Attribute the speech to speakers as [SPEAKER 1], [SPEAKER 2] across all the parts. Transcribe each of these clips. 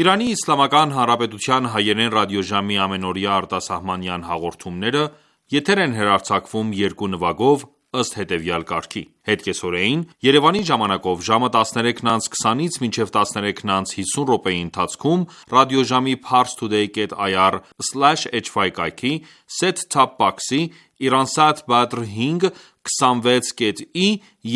[SPEAKER 1] Իրանի Իսլամական Հանրապետության հայերեն ռադիոժամի ամենօրյա արտասահմանյան հաղորդումները եթեր են հեռարձակվում երկու նվագով ըստ հետևյալ կարգի: Հետկեսօրեին Երևանի ժամանակով ժամը 13:20-ից մինչև 13:50 րոպեի ընթացքում ռադիոժամի parstoday.ir/hy կայքի set-top box-ի, Iransat Badr 5 26.i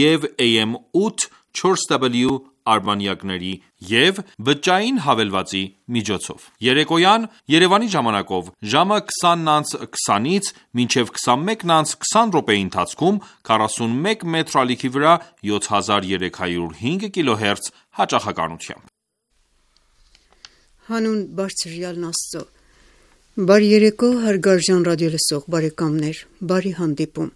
[SPEAKER 1] և AM 8 4W արբանյակների և բջջային հավելվածի միջոցով: Երեկոյան Երևանի ժամանակով ժամը 20:20-ից մինչև 21:20 րոպեի ընթացքում 41 մետր ալիքի վրա 7305 կիլոհերց հաճախականությամբ:
[SPEAKER 2] Հանուն բարձրյալն Աստծո: Բարի երեկո հարգարժան ռադիոլսող բարեկամներ: Բարի հանդիպում: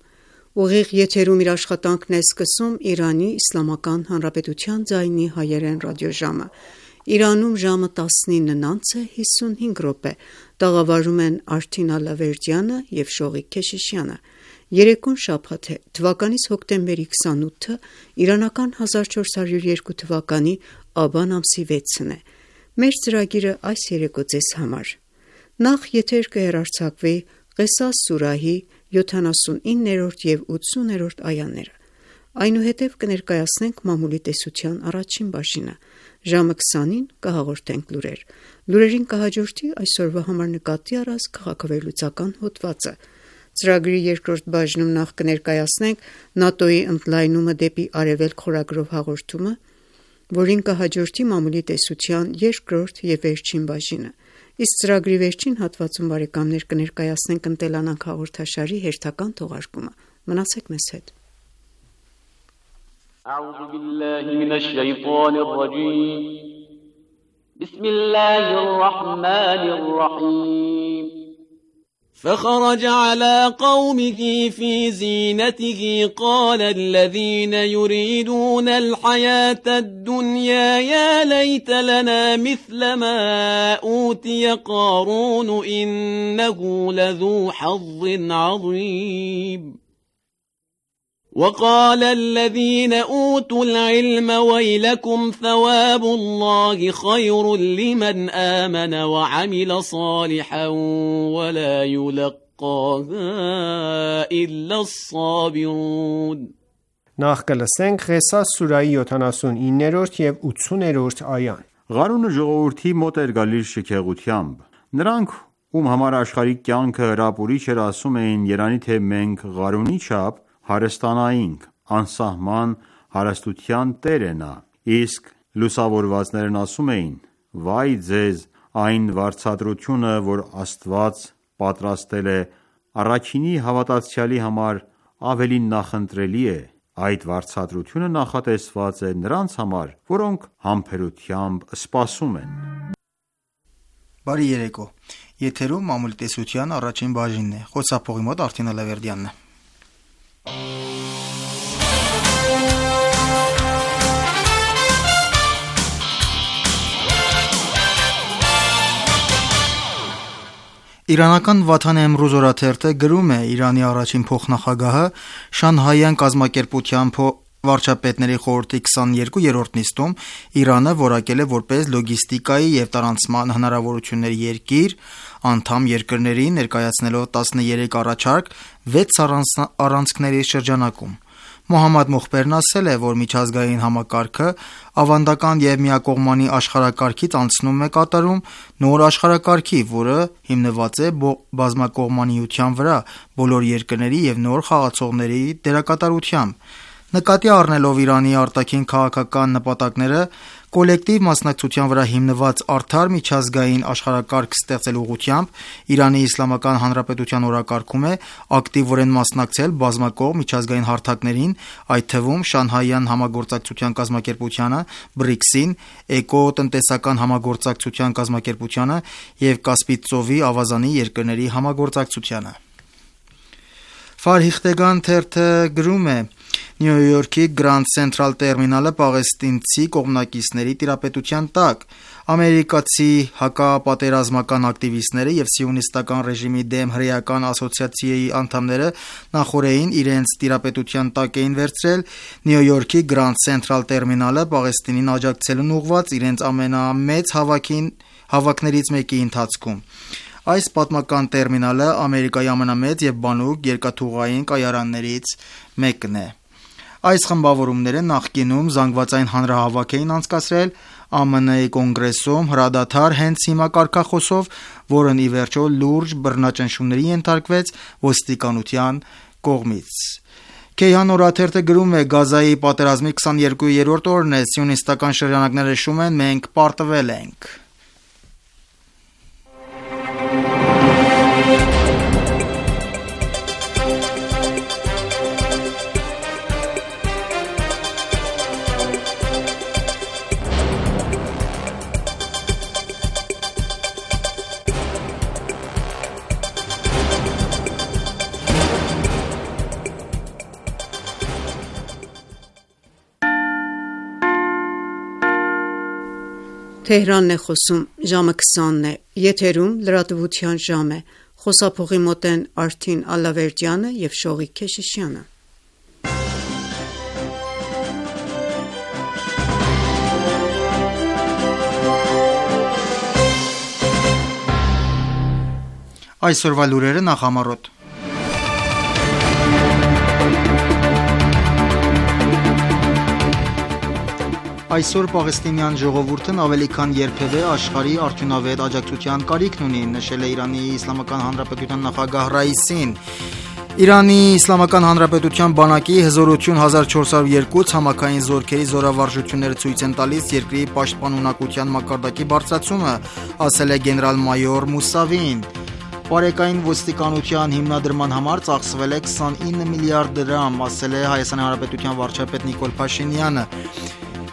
[SPEAKER 2] Ուղիղ եթերում իր աշխատանքն է սկսում Իրանի Իսլամական Հանրապետության ձայնի հայերեն ռադիոժամը: Իրանում ժամը 19:55 տաղավարում են Արթին Ալավերդյանը և Շողիկ Քեշիշյանը: Երեկոն շաբաթ է, թվականիս հոկտեմբերի 28-ը, իրանական 1402 թվականի աբան ամսի 6-ն է: Մեր ծրագիրը այս երեկո ձեզ համար: Նախ եթեր կհեռարձակվի Ղեսաս սուրահի 79-րդ և 80-րդ այաները: Այնուհետև կներկայացնենք մամուլի տեսության առաջին բաժինը: Ժամը 20-ին կհաղորդենք լուրեր: Լուրերին կհաջորդի այսօրվա համար նկատի առած քաղաքավերլուծական հոդվածը: Ծրագրի երկրորդ բաժնում նախ կներկայացնենք ՆԱՏՕ-ի ընդլայնումը դեպի արևելք խորագրով հաղորդումը, որին կհաջորդի մամուլի տեսության երկրորդ և վերջին բաժինը: Իսկ ծրագրի վերջին հատվածում կներկայացնենք «Ընտելանանք» հաղորդաշարի հերթական թողարկումը: Մնացեք մեզ հետ:
[SPEAKER 3] فخرج على قومه في زينته قال الذين يريدون الحياة الدنيا يا ليت لنا مثل ما أوتي قارون إنه لذو حظ عظيم وقال الذين أوتوا العلم ويلكم ثواب الله خير لمن آمن وعمل صالحا ولا يلقاها إلا الصابرون
[SPEAKER 4] Նախ կլսենք Ղեսաս սուրահի 79-րդ և 80-րդ այան:
[SPEAKER 5] Ղարունը ժողովրդի մոտ էր գալիս շքեղությամբ: Նրանք, ում համար աշխարհիկ կյանքը հրապուրիչ էր, ասում էին. երանի թե մենք Ղարունի չափ հարստանայինք: Անսահման հարստության տեր է նա: Իսկ լուսավորվածներն ասում էին. վայ ձեզ այն վարձատրությունը, որ Աստված պատրաստել է առաքինի հավատացյալի համար, ավելի նախընտրելի է: Այդ վարձատրությունը նախատեսված է նրանց համար, որոնք համբերությամբ սպասում են:
[SPEAKER 6] Բարի երեկո: Եթերում մամուլի տեսության առաջին բաժինն է: Խոսափողի մոտ Արթին Ալավերդյանն է: Իրանական Վաթան Էմրուզ օրաթերթը գրում է. Իրանի առաջին փոխնախագահը Շանհայյան կազմակերպության վարչապետների խորհրդի 22-րդ նիստում Իրանը որակել է որպես լոգիստիկայի և տարանցման հնարավորությունների երկիր, անդամ երկրներին ներկայացնելով 13 առաջարկ 6 առանցքների շրջանակում: Մոհամմադ Մոխբերն ասել է, որ միջազգային համակարգը ավանդական և միակողմանի աշխարհակարգից անցում է կատարում նոր աշխարհակարգի, որը հիմնված է բազմակողմանիության վրա բոլոր երկրների և նոր խաղացողների դերակատարությամբ: Նկատի առնելով Իրանի արտաքին քաղաքական նպատակները, կոլեկտիվ մասնակցության վրա հիմնված արդար միջազգային աշխարհակարգ ստեղծելու ուղղությամբ, Իրանի Իսլամական Հանրապետության օրակարգում է ակտիվորեն մասնակցել բազմակողմ միջազգային հարթակներին, այդ թվում Շանհայյան համագործակցության կազմակերպությանը, BRICS-ին, Էկոտնտեսական համագործակցության կազմակերպությանը և Կասպից ծովի ավազանի երկրների համագործակցությանը: Ֆարհիխտեգան թերթը գրում է. Նյու Յորքի Grand Central տերմինալը պաղեստինցի կողմնակիցների տիրապետության տակ: Ամերիկացի հակապատերազմական ակտիվիստները եւ սիոնիստական ռեժիմի դեմ հրեական ասոցիացիայի անդամները նախորդին իրենց տիրապետության տակ էին վերցրել Նյու Յորքի Grand Central տերմինալը Պաղեստինին աջակցելուն ուղղված իրենց ամենամեծ հավաքներից մեկի ընթացքում։ Այս պատմական տերմինալը Ամերիկայի ամենամեծ եւ բանուկ երկաթուղային կայարաններից մեկն է։ Այս խմբավորումները նախկինում զանգվածային հանրահավաք էին անցկացրել ԱՄՆ-ի կոնգրեսում հրադադար հենց հիմա կարգախոսով, որն ի վերջո լուրջ բռնաճնշումների ենթարկվեց ոստիկանության կողմից։ Քեյհան օրաթերթը գրում է. Գազայի պատերազմի 22-րդ օրն է, սիոնիստական շրջանակները նշում են, մենք պարտվել ենք։
[SPEAKER 2] Թեհրանն է խոսում, ժամը 20-ն է, եթերում լրատվության ժամ է, խոսափողի մոտ են Արթին Ալավերդյանը և Շողիկ Քեշիշյանը։
[SPEAKER 6] Այսօրվա լուրերը նախամարոտ։ Այսօր պաղեստինյան ժողովուրդն ավելի քան երբևէ աշխարհի արդյունավետ աջակցության կարիքն ունի, նշել է Իրանի Իսլամական Հանրապետության նախագահ Ռայիսին։ Իրանի Իսլամական Հանրապետության բանակի հզորություն 1402 ցամաքային զորքերի զորավարժությունները ցույց են տալիս երկրի պաշտպանունակության մակարդակի բարձրացումը, ասել է գեներալ-մայոր Մուսավին։ Բարեկային ոստիկանության հիմնադրման համար ծախսվել է 29 միլիարդ դրամ, ասել է Հայաստանի Հանրապետության վարչապետ Նիկոլ Փաշինյանը։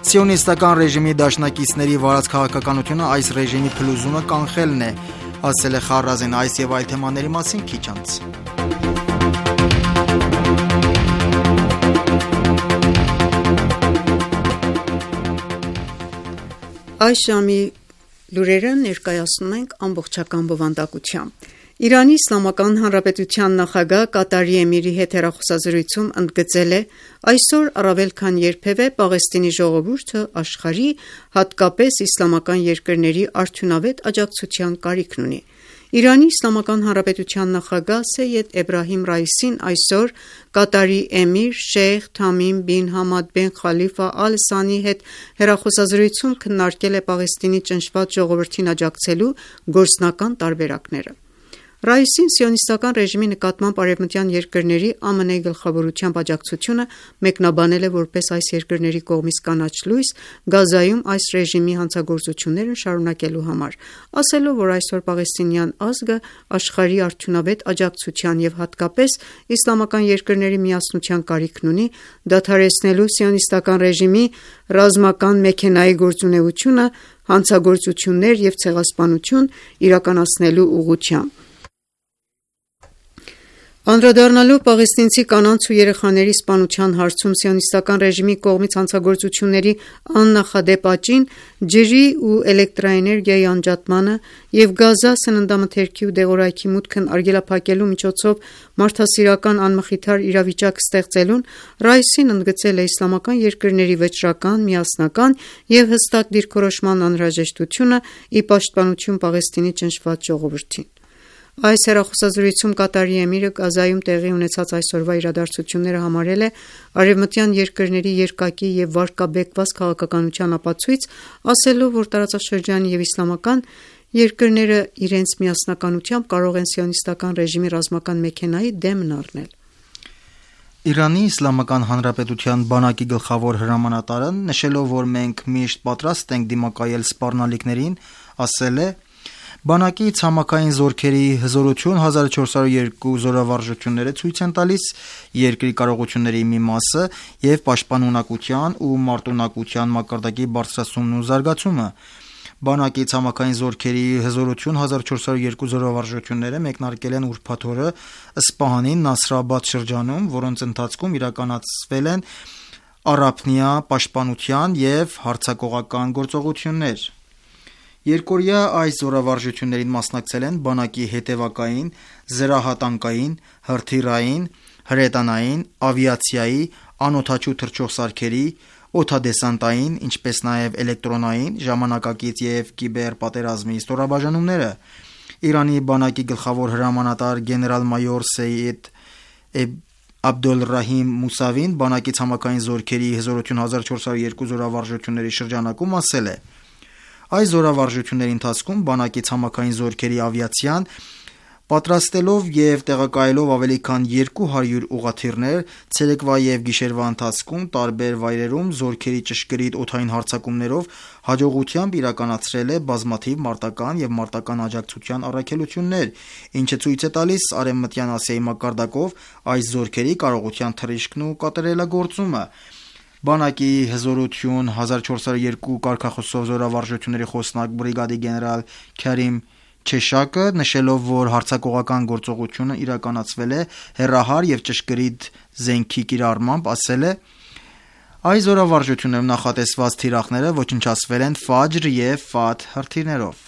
[SPEAKER 6] Սիոնիստական ռեժիմի դաշնակիցների վարած քաղաքականությունը այս ռեժիմի փլուզումը կանխելն է, ասել է Խարազին, այս եւ այլ թեմաների մասին քիչ անց։
[SPEAKER 2] Այս ժամի լուրերը ներկայացնում ենք ամբողջական բովանդակությամբ։ Իրանի Իսլամական Հանրապետության նախագահ Կատարի Էմիրի հետ հեռախոսազրույցում ընդգծել է. այսօր առավել քան երբևէ Պաղեստինի ժողովուրդը աշխարհի, հատկապես իսլամական երկրների արդյունավետ աջակցության կարիքն ունի։ Իրանի Իսլամական Հանրապետության նախագահ Սեյեդ Էբրահիմ Ռայիսին այսօր Կատարի Էմիր Շեյխ Թամիմ բին Համադ բեն Խալիֆա Ալ Սանի հետ հեռախոսազրույցում քննարկել է Պաղեստինի ճնշված ժողովրդին աջակցելու գործնական տարբերակները։ Ռայիսին սիոնիստական ռեժիմի նկատմամբ արևմտյան երկրների ԱՄՆ-ի գլխավորությամբ աջակցությունը մեկնաբանել է որպես այս երկրների կողմից կանաչ լույս Գազայում այս ռեժիմի հանցագործություններն շարունակելու համար, ասելով, որ այսօր պաղեստինյան ազգը աշխարհի արդյունավետ աջակցության եւ հատկապես իսլամական երկրների միասնության կարիքն ունի դադարեցնելու սիոնիստական ռեժիմի ռազմական մեքենայի գործունեությունը, հանցագործություններ եւ ցեղասպանություն իրականացնելու ուղղությամբ։ Անդրադառնալով պաղեստինցի կանանց ու երեխաների սպանության հարցում սիոնիստական ռեժիմի կողմից հանցագործությունների աննախադեպ աճին, ջրի ու էլեկտրաէներգիայի անջատմանը եւ Գազա սննդամթերքի ու դեղորայքի մուտքն արգելափակելու միջոցով մարդասիրական անմխիթար իրավիճակ ստեղծելուն Ռայիսին ընդգծել է իսլամական երկրների վճռական, միասնական եւ հստակ դիրքորոշման անհրաժեշտությունը ի պաշտպանություն Պաղեստինի ճնշված ժողովրդին։ Այս հեռախոսազրույցում Կատարի Էմիրը Գազայում տեղի ունեցած այսօրվա իրադարձությունները համարել է արևմտյան երկրների երկակի եւ վարկաբեկված քաղաքականության ապացույց, ասելով, որ տարածաշրջանի եւ իսլամական երկրները իրենց միասնականությամբ կարող են սիոնիստական ռեժիմի ռազմական մեքենայի դեմն առնել։
[SPEAKER 6] Իրանի Իսլամական Հանրապետության բանակի գլխավոր հրամանատարը նշելով, որ մենք միշտ պատրաստ ենք դիմակայել սպառնալիքներին, ասել է. Բանակի ցամաքային զորքերի հզորություն 1402 զորավարժությունները ցույց են տալիս երկրի կարողությունների մի մասը եւ պաշտպանունակության ու մարտունակության մակարդակի բարձրացումն ու զարգացումը։ Բանակի ցամաքային զորքերի հզորություն 1402 զորավարժությունները մեկնարկել են ուրբաթ օրը Սպահանի Նասրաբադ շրջանում, որոնց ընթացքում իրականացվել են առափնյա պաշտպանության եւ հարձակողական գործողություններ։ Երկօրյա այս զորավարժություններին մասնակցել են բանակի հետևակային, զրահատանկային, հրթիռային, հրետանային, ավիացիայի, անօդաչու թռչող սարքերի, օդադեսանտային, ինչպես նաև էլեկտրոնային, ժամանակակից և կիբերպատերազմի ստորաբաժանումները։ Իրանի բանակի գլխավոր հրամանատար գեներալ-մայոր Սեյեդ Աբդոլռահիմ Մուսավին բանակի ցամաքային զորքերի հզորություն 1402 զորավարժությունների շրջանակում ասել է. Այս զորավարժությունների ընթացքում բանակի ցամաքային զորքերի ավիացիան պատրաստելով և տեղակայելով ավելի քան 200 ուղղաթիռներ, ցերեկվա և գիշերվա ընթացքում տարբեր վայրերում զորքերի ճշգրիտ օդային հարձակումներով հաջողությամբ իրականացրել է բազմաթիվ մարտական և մարտական աջակցության առաքելություններ, ինչը ցույց է տալիս Արևմտյան Ասիայի մակարդակով այս զորքերի կարողության թռիչքն ու կատարելագործումը։ Բանակի հզորություն 1402 կարգախոսով զորավարժությունների խոսնակ բրիգադի գեներալ Քարիմ Չեշակը նշելով, որ հարձակողական գործողությունը իրականացվել է հեռահար և ճշգրիտ զենքի կիրառմամբ, ասել է. Այս զորավարժություններում նախատեսված թիրախները ոչնչացվել են Ֆաջր և Ֆաթհ հրթիռներով։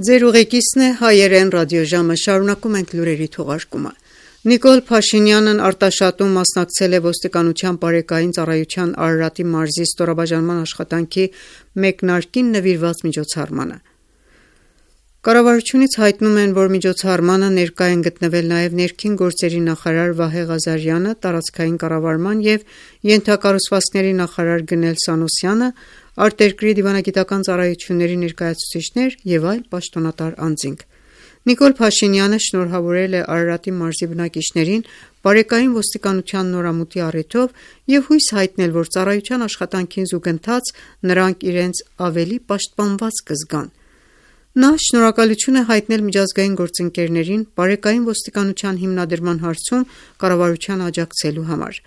[SPEAKER 2] Ձեր ուղեկիցն է հայերեն ռադիոժամը, շարունակում ենք լուրերի թողարկումը։ Նիկոլ Փաշինյանն Արտաշատում մասնակցել է ոստիկանության բարեկային ծառայության Արարատի մարզի ստորաբաժանման աշխատանքի մեկնարկին նվիրված միջոցառմանը։ Կառավարությունից հայտնում են, որ միջոցառմանը ներկա են գտնվել նաև ներքին գործերի նախարար Վահե Ղազարյանը, տարածքային կառավարման և ենթակառուցվածքների նախարար Գնել Սանոսյանը, արտերկրի դիվանագիտական ծառայությունների ներկայացուցիչներ և այլ պաշտոնատար անձինք։ Նիկոլ Փաշինյանը շնորհավորել է Արարատի մարզի բնակիչներին բարեկային ոստիկանության նորամուտի առիթով և հույս հայտնել, որ ծառայության աշխատանքին զուգընթաց նրանք իրենց ավելի պաշտպանված կզգան։ Նա շնորհակալություն է հայտնել միջազգային գործընկերներին բարեկային ոստիկանության հիմնադրման հարցում կառավարությանը աջակցելու համար։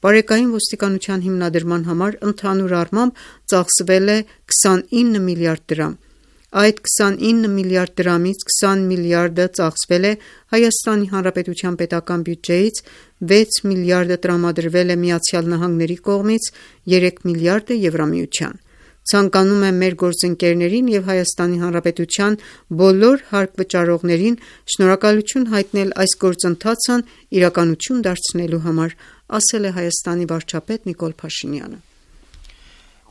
[SPEAKER 2] Բարեկային ոստիկանության հիմնադրման համար ընդհանուր առմամբ ծախսվել է 29 միլիարդ դրամ։ Այդ 29 միլիարդ դրամից 20 միլիարդը ծախսվել է Հայաստանի Հանրապետության պետական բյուջեից, 6 միլիարդը տրամադրվել է ԱՄՆ-ի կողմից, 3 միլիարդը Եվրամիության։ Ցանկանում եմ մեր գործընկերներին և Հայաստանի Հանրապետության բոլոր հարկվճարողներին շնորհակալություն հայտնել այս գործընթացն իրականություն դարձնելու համար, ասել է Հայաստանի վարչապետ Նիկոլ Փաշինյանը։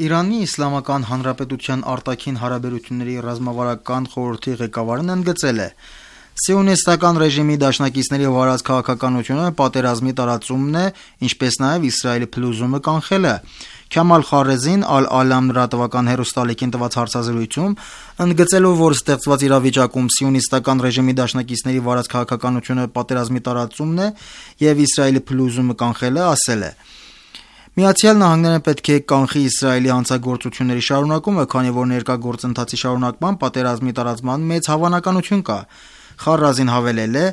[SPEAKER 6] Իրանի Իսլամական Հանրապետության արտաքին հարաբերությունների ռազմավարական խորհրդի ղեկավարն ընդգծել է. Սիոնիստական ռեժիմի դաշնակիցների վարած քաղաքականությունը պատերազմի տարածումն է, ինչպես նաև Իսրայելի փլուզումը կանխելը։ Քամալ Խարեզին Ալ-Ալամ լրատվական հեռուստալիքին տված հարցազրույցում ընդգծելով, որ ստեղծված իրավիճակում սիոնիստական ռեժիմի դաշնակիցների վարած քաղաքականությունը պատերազմի տարածումն է և Իսրայելի փլուզումը կանխելը, ասել է. ԱՄՆ-ն պետք է կանխի Իսրայելի հանցագործությունների շարունակումը, քանի որ ներկա գործընթացի շարունակման պատերազմի տարածման մեծ հավանականություն կա։ Խարազին հավելել է.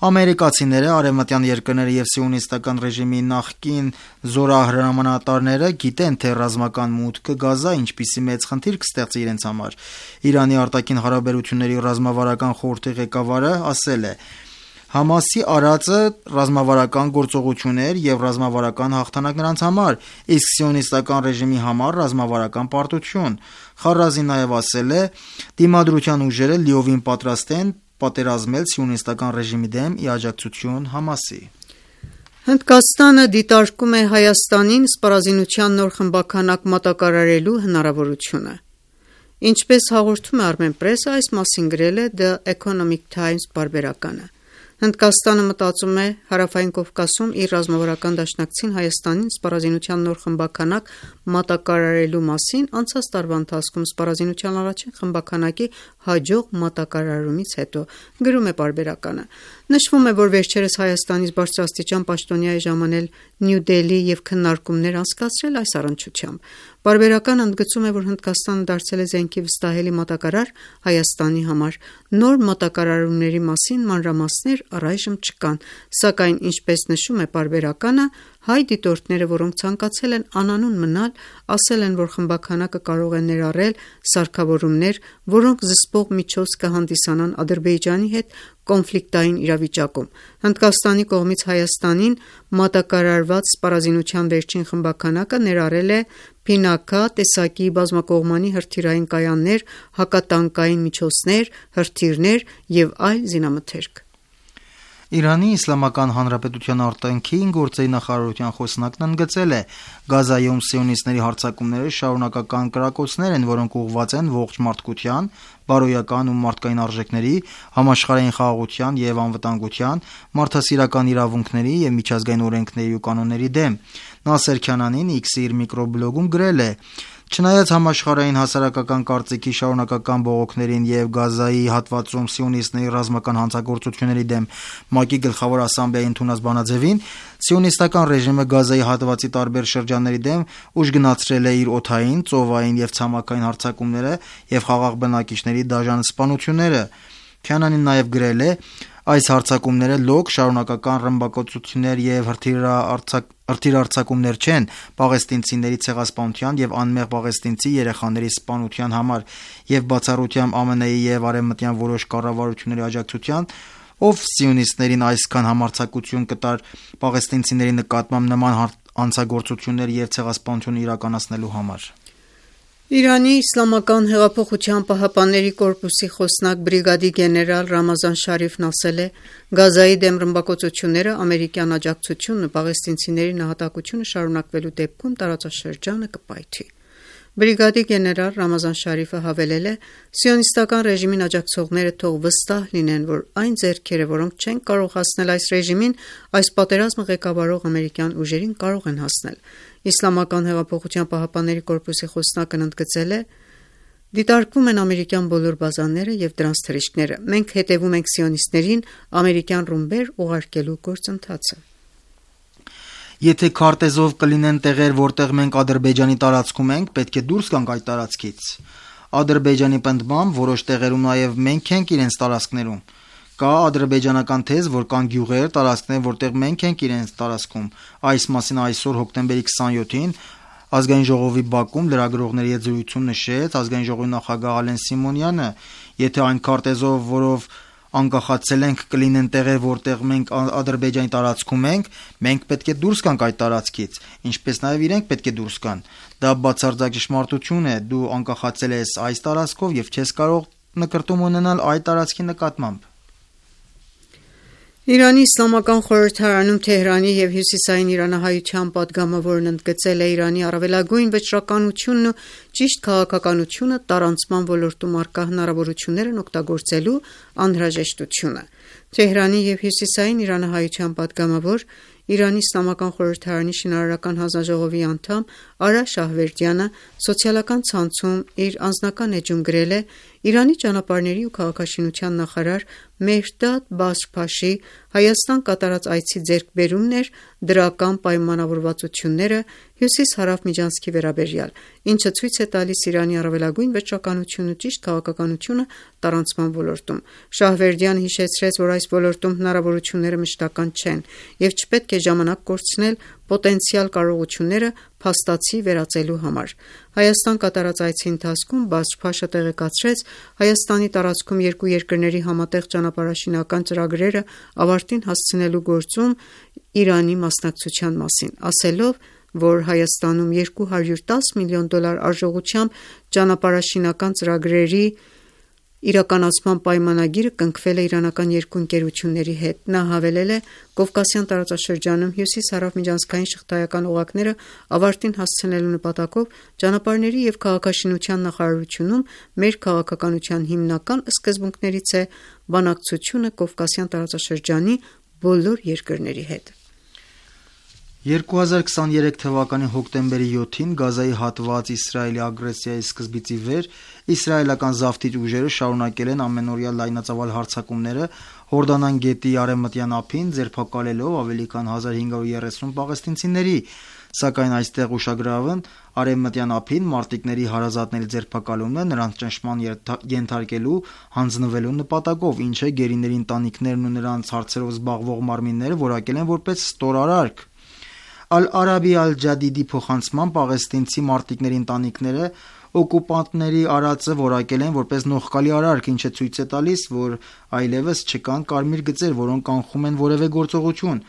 [SPEAKER 6] ամերիկացիները, արևմտյան երկրները և սիոնիստական ռեժիմի նախկին զորահրամանատարները գիտեն, թե ռազմական մուտքը Գազա ինչպիսի մեծ խնդիր կստեղծի իրենց համար։ Իրանի արտաքին հարաբերությունների ռազմավարական խորհրդի ղեկավարը ասել է. Համասի արածը ռազմավարական գործողություն էր և ռազմավարական հաղթանակ նրանց համար, իսկ սիոնիստական ռեժիմի համար ռազմավարական պարտություն։ Խարազին նաև ասել է. դիմադրության ուժերը լիովին պատրաստ են պատերազմել սիոնիստական ռեժիմի դեմ ի աջակցություն Համասի։
[SPEAKER 2] Հնդկաստանը դիտարկում է Հայաստանին սպառազինության նոր խմբաքանակ մատակարարելու հնարավորությունը։ Ինչպես հաղորդում է Armenpress-ը, այս մասին գրել է The Economic Times պարբերականը։ Հնդկաստանը մտածում է Հարավային Կովկասում իր ռազմավարական դաշնակցին Հայաստանին սպառազինության նոր խմբաքանակ մատակարարելու մասին անցած տարվա ընթացքում սպառազինության առաջին խմբաքանակի հաջող մատակարարումից հետո, գրում է պարբերականը։ Նշվում է, որ վերջերս Հայաստանից բարձրաստիճան պաշտոնյա է ժամանել Նյու Դելհի և քննարկումներ անցկացրել այս առնչությամբ։ Պարբերականը ընդգծում է, որ Հնդկաստանը դարձել է զենքի վստահելի մատակարար Հայաստանի համար։ Նոր մատակարարումների մասին մանրամասներ առայժմ չկան, սակայն ինչպես նշում է պարբերականը, հայ դիտորդները, որոնք ցանկացել են անանուն մնալ, ասել են, որ խմբաքանակը կարող է ներառել սարքավորումներ, որոնք զսպող միջոց կհանդիսանան Ադրբեջանի հետ կոնֆլիկտային իրավիճակում։ Հնդկաստանի կողմից Հայաստանին մատակարարված սպառազինության վերջին խմբաքանակը ներառել է փինաքա տեսակի բազմակողմանի հրթիռային կայաններ, հակատանկային միջոցներ, հրթիռներ և այլ զինամթերք։
[SPEAKER 6] Իրանի Իսլամական Հանրապետության արտաքին գործերի նախարարության խոսնակն ընդգծել է. Գազայում սիոնիստների հարձակումները շարունակական կրակոցներ են, որոնք ուղղված են ողջ մարդկության, բարոյական ու մարդկային արժեքների, համաշխարհային խաղաղության և անվտանգության, մարդասիրական իրավունքների և միջազգային օրենքների ու կանոնների դեմ։ Նասեր Քանանին X-ի իր միկրոբլոգում գրել է. Չնայած համաշխարհային հասարակական կարծիքի շարունակական բողոքներին և Գազայի հատվածում սիոնիստների ռազմական հանցագործությունների դեմ ՄԱԿ-ի Գլխավոր ասամբլեայի ընդունած բանաձևին, սիոնիստական ռեժիմը Գազայի հատվածի տարբեր շրջանների դեմ ուժգնացրել է իր օդային, ծովային և ցամաքային հարձակումները և խաղաղ բնակիչների դաժան սպանությունները։ Քյանանին նաև գրել է. այս հարձակումները լոկ, շարունակական ռմբակոծություններ և հրթիռարձակումներ չեն պաղեստինցիների ցեղասպանության և անմեղ պաղեստինցի երեխաների սպանության համար, և բացառությամբ ԱՄՆ-ի և արևմտյան որոշ կառավարությունների աջակցության, ով սիոնիստներին այսքան համարձակություն կտար պաղեստինցիների նկատմամբ նման հանցագործություններ և ցեղասպանություն իրականացնելու համար։
[SPEAKER 2] Իրանի Իսլամական հեղափոխության պահապանների կորպուսի խոսնակ բրիգադի գեներալ Ռամազան Շարիֆն ասել է. Գազայի դեմ ռմբակոծությունները, ամերիկյան աջակցությունն ու պաղեստինցիների նահատակությունը շարունակվելու դեպքում տարածաշրջանը կպայթի։ Բրիգադի գեներալ Ռամազան Շարիֆը հավելել է. Սիոնիստական ռեժիմին աջակցողները թող վստահ լինեն, որ այն ձեռքերը, որոնք չեն կարող հասնել այս ռեժիմին, այս պատերազմը ղեկավարող ամերիկյան ուժերին կարող են հասնել։ Իսլամական հեղափոխության պահապանների կորպուսի խոսնակն ընդգծել է. Դիտարկվում են ամերիկյան բոլոր բազաները և դրանց թռիչքները։ Մենք հետևում ենք սիոնիստներին ամերիկյան ռումբեր ուղարկելու գործընթացը։
[SPEAKER 6] Եթե քարտեզով կլինեն տեղեր, որտեղ մենք Ադրբեջանի տարածքում ենք, պետք է դուրս գանք այդ տարածքից։ Ադրբեջանի պնդմամբ որոշ տեղերում նաև մենք ենք իրենց տարածքներում։ Կա ադրբեջանական թեզ, որ կան գյուղեր, տարածքներ, որտեղ մենք ենք իրենց տարածքում։ Այս մասին այսօր հոկտեմբերի 27-ին Ազգային ժողովի Բաքում լրագրողների հետ զրույցում նշեց Ազգային ժողովի նախագահ Ալեն Սիմոնյանը։ Եթե այն քարտեզով, որով անկախացել ենք, կլինեն տեղեր, որտեղ մենք Ադրբեջանի տարածքում ենք, մենք պետք է դուրս գանք այդ տարածքից, ինչպես նաև իրենք պետք է դուրս գան։ Դա բացարձակ ճշմարտություն է, դու անկախացել ես այս տարածքով և չես կարող նկրտում ունենալ այդ տարածքի նկատմամբ։
[SPEAKER 2] Իրանի Իսլամական խորհրդարանում Թեհրանի և հյուսիսային իրանահայության պատգամավորն ընդգծել է Իրանի առավելագույն վճռականությունն ու ճիշտ քաղաքականությունը տարանցման ոլորտում առկա հնարավորություններն օգտագործելու անհրաժեշտությունը։ Թեհրանի և հյուսիսային իրանահայության պատգամավոր, Իրանի Իսլամական խորհրդարանի շինարարական հանձնաժողովի անդամ Արա Շահվերդյանը սոցիալական ցանցում իր անձնական էջում գրել է. Իրանի ճանապարհների ու քաղաքաշինության նախարար Մեհրդադ Բասրփաշի Հայաստան կատարած այցի ձեռքբերումն էր դրական պայմանավորվածությունները հյուսիս-հարավ միջանցքի վերաբերյալ, ինչը ցույց է տալիս Իրանի առավելագույն վճռականությունն ու ճիշտ քաղաքականությունը տարանցման ոլորտում։ Շահվերդյանը հիշեցրեց, որ այս ոլորտում հնարավորությունները մշտական չեն և չպետք է ժամանակ կորցնել պոտենցիալ կարողությունները փաստացի վերածելու համար։ Հայաստան կատարած այցի ընթացքում Բասրփաշը տեղեկացրեց Հայաստանի տարածքում երկու երկրների համատեղ ճանապարհաշինական ծրագրերը ավարտին հասցնելու գործում Իրանի մասնակցության մասին, ասելով, որ Հայաստանում $210 միլիոն արժողությամբ ճանապարհաշինական ծրագրերի իրականացման պայմանագիրը կնքվել է իրանական երկու ընկերությունների հետ։ Նա հավելել է. Կովկասյան տարածաշրջանում հյուսիս-հարավ միջանցքային շղթայական օղակները ավարտին հասցնելու նպատակով ճանապարհների և քաղաքաշինության նախարարությունում մեր քաղաքականության հիմնական սկզբունքներից է բանակցությունը Կովկասյան տարածաշրջանի բոլոր երկրների հետ։
[SPEAKER 6] 2023 թվականի հոկտեմբերի 7-ին Գազայի հատված Իսրայելի ագրեսիայի սկզբից ի վեր իսրայելական զավթիչ ուժերը շարունակել են ամենօրյա լայնածավալ հարձակումները Հորդանան գետի արևմտյան ափին, ձերբակալելով ավելի քան 1530 պաղեստինցիների, սակայն այստեղ ուշագրավն արևմտյան ափին մարտիկների հարազատների ձերբակալումն է նրանց ճնշման ենթարկելու, հանձնվելու նպատակով, ինչը գերիների ընտանիքներն ու նրանց հարցերով զբաղվող մարմինները որակել են որպես ստոր արարք։ Ալ-Արաբի Ալ-Ջադիդի փոխանցմամբ պաղեստինցի մարտիկների ընտանիքները օկուպանտների արածը որակել են որպես նողկալի արարք, ինչը ցույց է տալիս, որ այլևս չկան կարմիր գծեր, որոնք կանխում են որևէ գործողություն։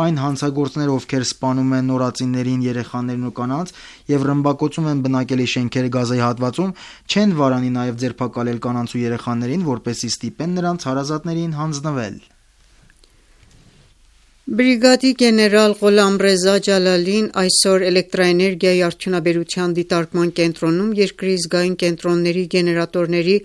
[SPEAKER 6] Այն հանցագործները, ովքեր սպանում են նորածիններին, երեխաներին ու կանանց եւ ռմբակոծում են բնակելի շենքերը Գազայի հատվածում, չեն վարանի նաեւ ձերբակալել կանանց ու երեխաներին, որպեսզի ստիպեն նրանց հարազատներին հանձնվել։
[SPEAKER 2] Բրիգադի գեներալ Ղոլամռեզա Ջալալին այսօր էլեկտրաէներգիայի արդյունաբերության դիտարկման կենտրոնում երկրի զգայուն կենտրոնների գեներատորների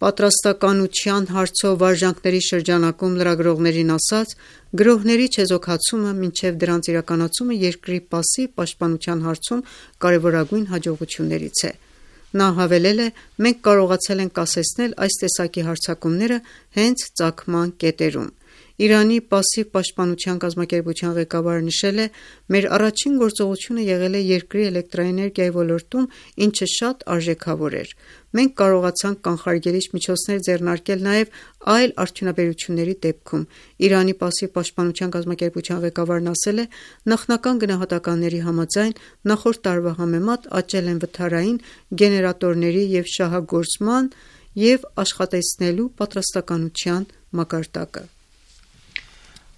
[SPEAKER 2] պատրաստականության հարցով վարժանքների շրջանակում լրագրողներին ասաց. «Գրոհների չեզոքացումը մինչև դրանց իրականացումը երկրի պասիվ պաշտպանության հարցում կարևորագույն հաջողություններից է»։ Նա հավելել է. «Մենք կարողացել ենք կասեցնել այս տեսակի հարձակումները հենց ծագման կետերում»։ Իրանի պասիվ պաշտպանության կազմակերպության ղեկավարը նշել է. «Մեր առաջին գործողությունը եղել է երկրի էլեկտրաէներգիայի ոլորտում, ինչը շատ արժեքավոր էր։ Մենք կարողացանք կանխարգելիչ միջոցներ ձեռնարկել նաև այլ արդյունաբերությունների դեպքում»։ Իրանի պասիվ պաշտպանության կազմակերպության ղեկավարն ասել է. «Նախնական գնահատականների համաձայն նախորդ տարվա համեմատ աճել են վթարային գեներատորների և շահագործման և աշխատեցնելու պատրաստակամության մակարդակը»։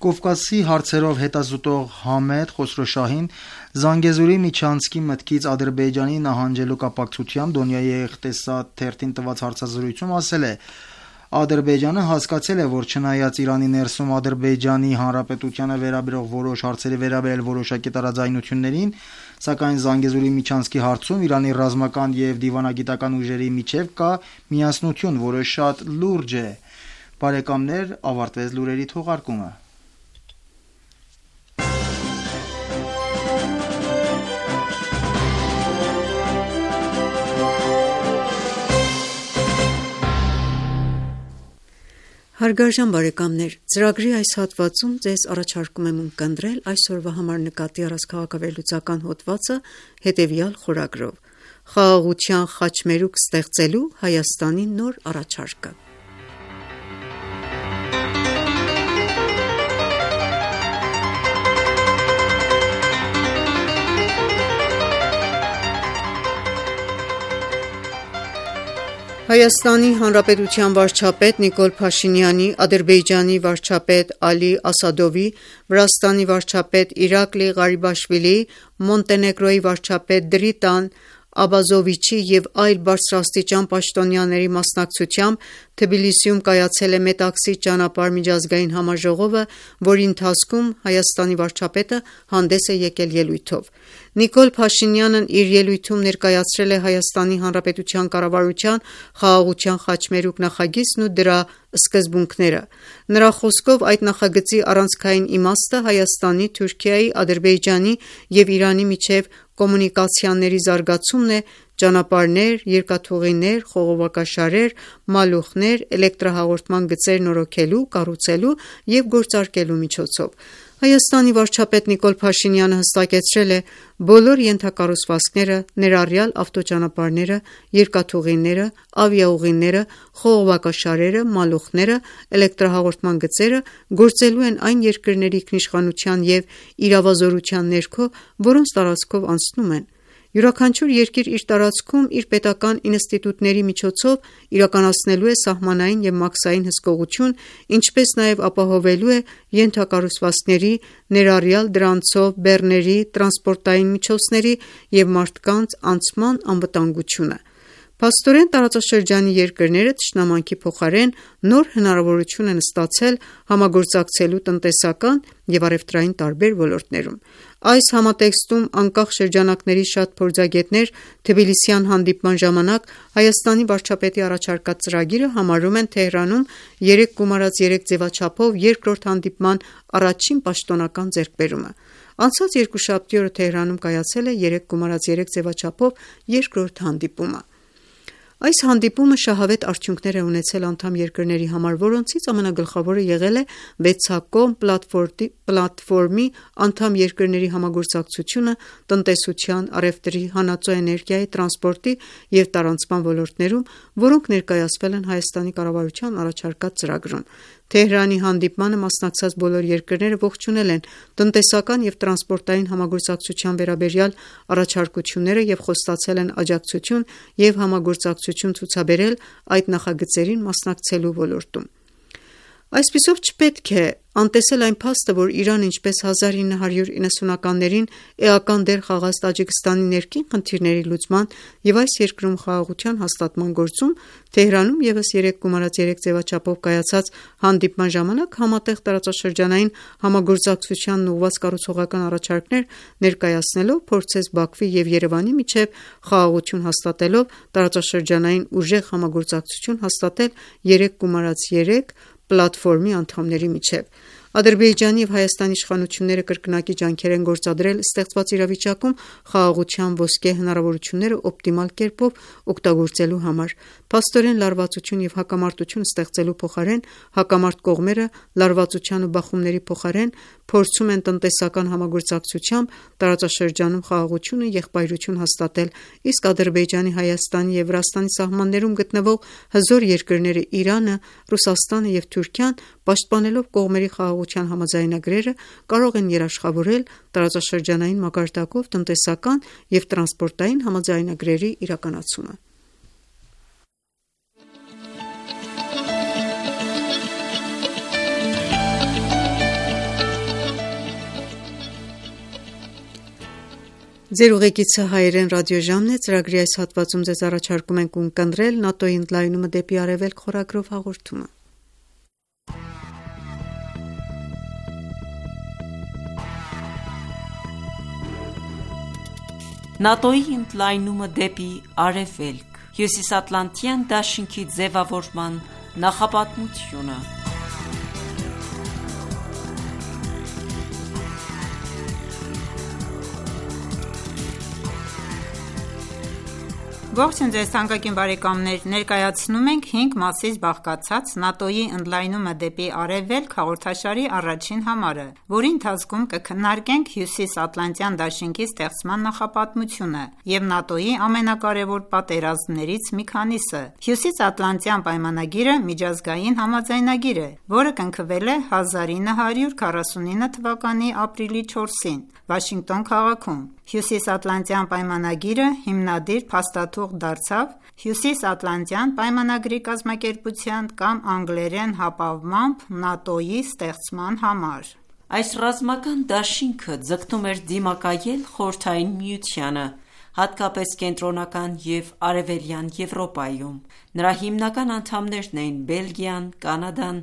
[SPEAKER 6] Կովկասի հարցերով հետազոտող Համեդ Խոսրոշահին Զանգեզուրի միջանցքի մտքից Ադրբեջանի նահանջելու կապակցությամբ Դոնյայի Էղտեսադ թերթին տված հարցազրույցում ասել է. Ադրբեջանը հասկացել է, որ չնայած Իրանի ներսում Ադրբեջանի Հանրապետությանը վերաբերող որոշ հարցերի վերաբերյալ որոշակի տարաձայնություններին, սակայն Զանգեզուրի միջանցքի հարցում Իրանի ռազմական և դիվանագիտական ուժերի միջև կա միասնություն, որը շատ լուրջ է։ Բարեկամներ, ավարտվեց լուրերի թողարկումը։
[SPEAKER 2] Հարգարժան բարեկամներ, ծրագրի այս հատվածում ձեզ առաջարկում եմ ունկնդրել այսօրվա համար նկատի առած քաղաքավերլուծական հոդվածը հետևյալ խորագրով. «Խաղաղության խաչմերուկ ստեղծելու Հայաստանի նոր առաջարկը»։ Հայաստանի Հանրապետության վարչապետ Նիկոլ Փաշինյանի, Ադրբեջանի վարչապետ Ալի Ասադովի, Վրաստանի վարչապետ Իրակլի Ղարիբաշվիլիի, Մոնտենեգրոյի վարչապետ Դրիտան Աբազովիչի և այլ բարձրաստիճան պաշտոնյաների մասնակցությամբ Թբիլիսիում կայացել է Մետաքսի ճանապարհ միջազգային համաժողովը, որի ընթացքում Հայաստանի վարչապետը հանդես է եկել ելույթով։ Նիկոլ Փաշինյանն իր ելույթում ներկայացրել է Հայաստանի Հանրապետության կառավարության խաղաղության խաչմերուկ նախագիծն ու դրա սկզբունքները։ Նրա խոսքով այդ նախագծի առանցքային իմաստը Հայաստանի, Թուրքիայի, Ադրբեջանի և Իրանի միջև կոմունիկացիաների զարգացումն է ճանապարհներ, երկաթուղիներ, խողովակաշարեր, մալուխներ, էլեկտրահաղորդման գծեր նորոգելու, կառուցելու և գործարկելու միջոցով։ Հայաստանի վարչապետ Նիկոլ Փաշինյանը հստակեցրել է. «Բոլոր ենթակառուցվածքները, ներառյալ ավտոճանապարհները, երկաթուղիները, ավիաուղիները, խողովակաշարերը, մալուխները, էլեկտրահաղորդման գծերը գործելու են այն երկրների ինքնիշխանության և իրավազորության ներքո, որոնց տարածքով անցնում են։ Յուրաքանչյուր երկիր իր տարածքում իր պետական ինստիտուտների միջոցով իրականացնելու է սահմանային և մաքսային հսկողություն, ինչպես նաև ապահովելու է ենթակառուցվածքների, ներառյալ դրանցով բեռների, տրանսպորտային միջոցների և մարդկանց անցման անվտանգությունը։ Փաստորեն, տարածաշրջանի երկրները թշնամանքի փոխարեն նոր հնարավորություն են ստացել համագործակցելու տնտեսական և առևտրային տարբեր ոլորտներում։ Այս համատեքստում անկախ շրջանակների շատ փորձագետներ Թբիլիսյան հանդիպման ժամանակ Հայաստանի վարչապետի առաջարկած ծրագիրը համարում են Թեհրանում 3+3 ձևաչափով երկրորդ հանդիպման առաջին պաշտոնական ձեռքբերումը։ Անցած երկուշաբթի օրը Թեհրանում կայացել է 3+3 ձևաչափով երկրորդ հանդիպումը։ Այս հանդիպումը շահավետ արդյունքներ է ունեցել անդամ երկրների համար, որոնցից ամենագլխավորը եղել է վեցակողմ պլատֆորմի անդամ երկրների համագործակցությունը տնտեսության, առևտրի, հանածո էներգիայի, տրանսպորտի և տարանցման ոլորտներում, որոնք ներկայացվել են Հայաստանի կառավարության առաջարկած ծրագրում։ Թեհրանի հանդիպմանը մասնակցած բոլոր երկրները ողջունել են տնտեսական և տրանսպորտային համագործակցության վերաբերյալ առաջարկությունները և խոստացել են աջակցություն և համագործակցություն ցուցաբերել այդ նախագծերին մասնակցելու ոլորտում։ Այսպիսով չպետք է անտեսել այն փաստը, որ Իրանը ինչպես 1990-ականներին էական դեր խաղաց Տաջիկստանի ներքին խնդիրների լուծման և այս երկրում խաղաղության հաստատման գործում, Թեհրանում ևս երեկ գումարած 3 ձևաչափով կայացած հանդիպման ժամանակ համատեղ տարածաշրջանային համագործակցությանն ուղղված կառուցողական առաջարկներ ներկայացնելով փորձեց Բաքվի և Երևանի միջև խաղաղություն հաստատելով տարածաշրջանային ուժեղ համագործակցություն հաստատել երեկ գումարած 3 պլատֆորմի անդամների միջև։ Ադրբեջանի և Հայաստանի իշխանությունները կրկնակի ջանքեր են գործադրել ստեղծված իրավիճակում խաղաղության ոսկե հնարավորությունները օպտիմալ կերպով օգտագործելու համար։ Փաստորեն լարվածություն և հակամարտություն ստեղծելու փոխարեն հակամարտ կողմերը լարվածության ու բախումների փոխարեն փորձում են տնտեսական համագործակցությամբ տարածաշրջանում խաղաղություն ու եղբայրություն հաստատել, իսկ Ադրբեջանի, Հայաստանի և Վրաստանի սահմաններում գտնվող հզոր երկրները Իրանը, Ռուսաստանը և Թուրքիան պաշտպանելով կողմերի խաղաղության համաձայնագրերը կարող են երաշխավորել տարածաշրջանային մակարդակով տնտեսական և տրանսպորտային համաձայնագրերի իրականացումը։ Ձեր ուղեկիցը հայերեն ռադիոժամն է, ծրագրի այս հատվածում ձեզ առաջարկում ենք ունկնդրել ՆԱՏՕ-ի ընդլայնումը դեպի արևելք խորագրով հաղորդումը։
[SPEAKER 7] ՆԱՏՕ-ի ընդլայնումը դեպի արևելք, Հյուսիսատլանտյան դաշինքի ձևավորման նախապատմությունը։
[SPEAKER 8] Ողջույն ձեզ թանկագին բարեկամներ, ներկայացնում ենք 5 մասից բաղկացած ՆԱՏՕ-ի ընդլայնումը դեպի արևելք հաղորդաշարի առաջին համարը, որի ընթացքում կքննարկենք Հյուսիսատլանտյան դաշինքի ստեղծման նախապատմությունը և ՆԱՏՕ-ի ամենակարևոր պատերազմներից մի քանիսը։ Հյուսիսատլանտյան պայմանագիրը միջազգային համաձայնագիր է, որը կնքվել է 1949 թվականի ապրիլի 4-ին Վաշինգտոն քաղաքում։ Հյուսիսատլանտյան պայմանագիրը հիմնադիր փաստաթուղթ դարձավ Հյուսիսատլանտյան պայմանագրի կազմակերպության կամ անգլերեն հապամամբ ՆԱՏՕ-ի ստեղծման համար։
[SPEAKER 7] Այս ռազմական դաշինքը ձգտում էր դիմակայել Խորհրդային Միությանը, հատկապես կենտրոնական և արևելյան Եվրոպայում։ Նրա հիմնական անդամներն էին Բելգիան, Կանադան,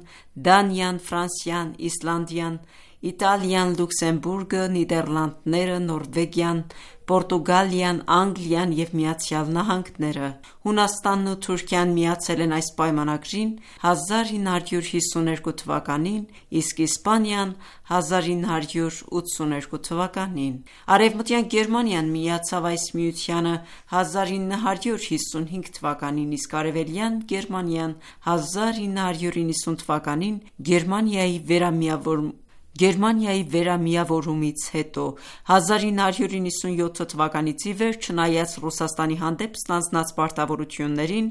[SPEAKER 7] Դանիան, Ֆրանսիան, Իսլանդիան, Իտալիան, Լյուքսեմբուրգը, Նիդերլանդները, Նորվեգիան, Պորտուգալիան, Անգլիան և Միացյալ Նահանգները։ Հունաստանն ու Թուրքիան միացել են այս պայմանագրին 1952 թվականին, իսկ Իսպանիան 1982 թվականին։ Արևմտյան Գերմանիան միացավ այս միությանը 1955 թվականին, իսկ Արևելյան Գերմանիան 1990 թվականին Գերմանիայի վերամիավորումից հետո։ 1997 թվականից ի վեր, չնայած Ռուսաստանի հանդեպ ստանձնած պարտավորություններին,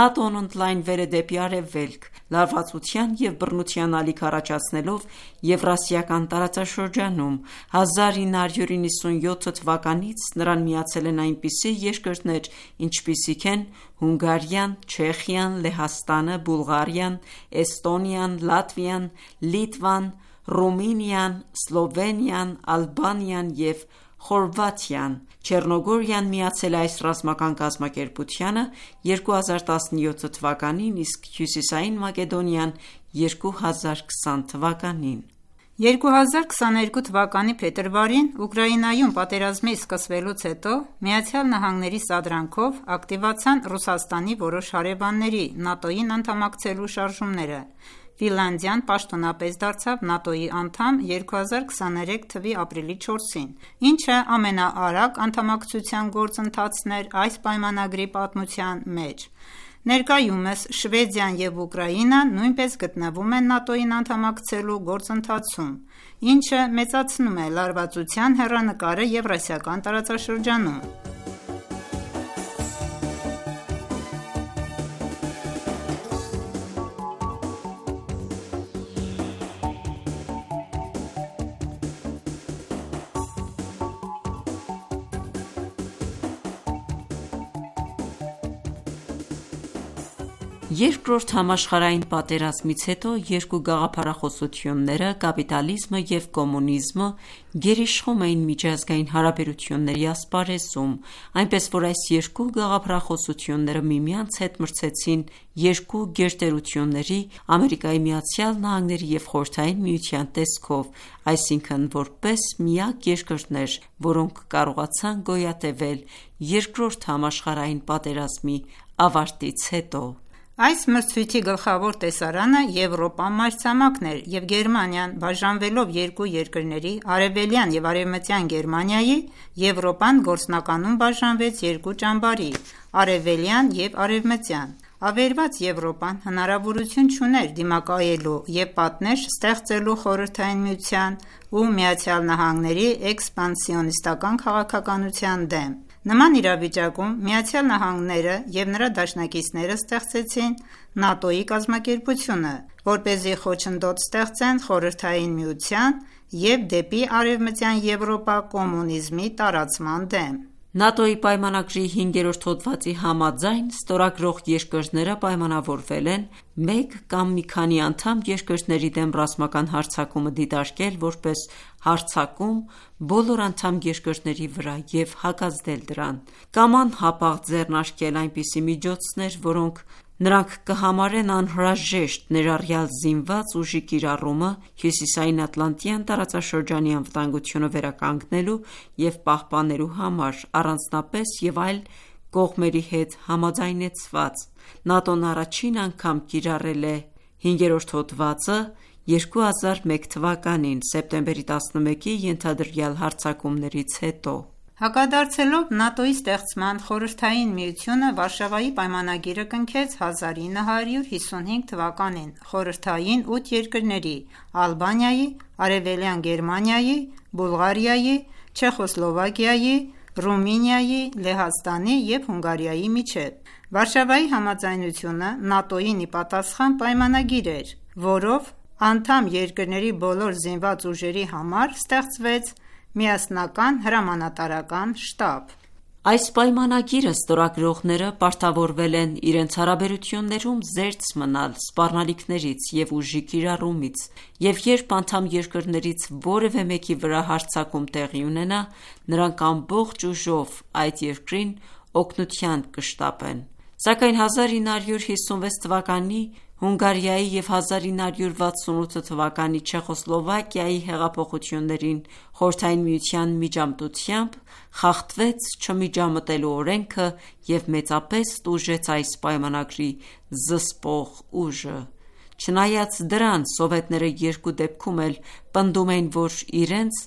[SPEAKER 7] ՆԱՏՕ-ն ընդլայնվել է դեպի արևելք, լարվածության և բռնության ալիք առաջացնելով Եվրասիական տարածաշրջանում։ 1997 թվականից նրան միացել են այնպիսի երկրներ, ինչպիսիք են Հունգարիան, Չեխիան, Լեհաստանը, Բուլղարիան, Էստոնիան, Լատվիան, Լիտվան, Ռումինիան, Սլովենիան, Ալբանիան և Խորվաթիան։ Չեռնոգորիան միացել է այս ռազմական կազմակերպությանը 2017 թվականին, իսկ Հյուսիսային Մակեդոնիան 2020 թվականին։
[SPEAKER 8] 2022 թվականի փետրվարին Ուկրաինայում պատերազմի սկսվելուց հետո ԱՄՆ-ի սադրանքով ակտիվացան Ռուսաստանի որոշ հարևանների ՆԱՏՕ-ին անդամակցելու շարժումները։ Ֆինլանդիան պաշտոնապես դարձավ ՆԱՏՕ-ի անդամ 2023 թվականի ապրիլի 4-ին, ինչը ամենաարագ անդամակցության գործընթացն էր այս պայմանագրի պատմության մեջ։ Ներկայումս Շվեդիան և Ուկրաինան նույնպես գտնվում են ՆԱՏՕ-ին անդամակցելու գործընթացում, ինչը մեծացնում է լարվածության հեռանկարը Եվրասիական տարածաշրջանում։
[SPEAKER 7] Երկրորդ համաշխարհային պատերազմից հետո երկու գաղափարախոսությունները՝ կապիտալիզմը և կոմունիզմը, գերիշխում էին միջազգային հարաբերությունների ասպարեզում, այնպես որ այս երկու գաղափարախոսությունները միմյանց հետ մրցեցին երկու գերտերությունների՝ ԱՄՆ-ի և Խորհրդային Միության տեսքով, այսինքն՝ որպես միակ երկրներ, որոնք կարողացան գոյատևել Երկրորդ համաշխարհային պատերազմի ավարտից հետո։
[SPEAKER 8] Այս մրցույթի գլխավոր տեսարանը Եվրոպան մայրցամաքն էր, և Գերմանիան բաժանվելով երկու երկրների՝ Արևելյան և Արևմտյան Գերմանիայի, Եվրոպան գործնականում բաժանվեց երկու ճամբարի՝ Արևելյան և Արևմտյան։ Ավերված Եվրոպան հնարավորություն չուներ դիմակայելու և պատնեշ ստեղծելու Խորհրդային Միության ու ԱՄՆ-ի էքսպանսիոնիստական քաղաքականության դեմ։ Նման իրավիճակում ԱՄՆ-ն և նրա դաշնակիցները ստեղծեցին ՆԱՏՕ-ի կազմակերպությունը, որպեսզի խոչընդոտ ստեղծեն Խորհրդային Միության և դեպի Արևմտյան Եվրոպա կոմունիզմի տարածման դեմ։
[SPEAKER 7] ՆԱՏՕ-ի պայմանագրի 5-րդ հոդվածի համաձայն ստորագրող երկրները պայմանավորվել են մեկ կամ մի քանի անդամ երկրների դեմ ռազմական հարձակումը դիտարկել որպես հարձակում բոլոր անդամ երկրների վրա և հակազդել դրան, կամ անհապաղ ձեռնարկել այնպիսի միջոցներ, որոնք նրանք կհամարեն անհրաժեշտ, ներառյալ զինված ուժի կիրառումը Հյուսիսային Ատլանտյան տարածաշրջանի անվտանգությունը վերականգնելու և պահպանելու համար, առանձնապես և այլ կողմերի հետ համաձայնեցված։ ՆԱՏՕ-ն առաջին անգամ կիրառել է 5-րդ հոդվածը 2001 թվականին՝ սեպտեմբերի 11-ի ենթադրյալ հարձակումներից հետո։
[SPEAKER 8] Հակադարձելով ՆԱՏՕ-ի ստեղծման, Խորհրդային Միությունը Վարշավայի պայմանագիրը կնքեց 1955 թվականին խորհրդային 8 երկրների՝ Ալբանիայի, Արևելյան Գերմանիայի, Բուլղարիայի, Չեխոսլովակիայի, Ռումինիայի, Լեհաստանի և Հունգարիայի միջև։ Վարշավայի համաձայնությունը ՆԱՏՕ-ին ի պատասխան պայմանագիր էր, որով անդամ երկրների բոլոր զինված ուժերի համար ստեղծվեց միասնական հրամանատարական շտաբ։
[SPEAKER 7] Այս պայմանագիրը ստորագրողները պարտավորվել են իրենց հարաբերություններում զերծ մնալ սպառնալիքներից և ուժի կիրառումից, և երբ անդամ երկրներից որևէ մեկի վրա հարձակում տեղի ունենա, նրանք ամբողջ ուժով այդ երկրին օգնության կշտապեն։ Սակայն 1956 թվականի Հունգարիայի և 1968 թվականի Չեխոսլովակիայի հեղափոխություններին Խորհրդային Միության միջամտությամբ խախտվեց չմիջամտելու օրենքը և մեծապես տուժեց այս պայմանագրի զսպող ուժը։ Չնայած դրան, սովետները երկու դեպքում էլ պնդում էին, որ իրենց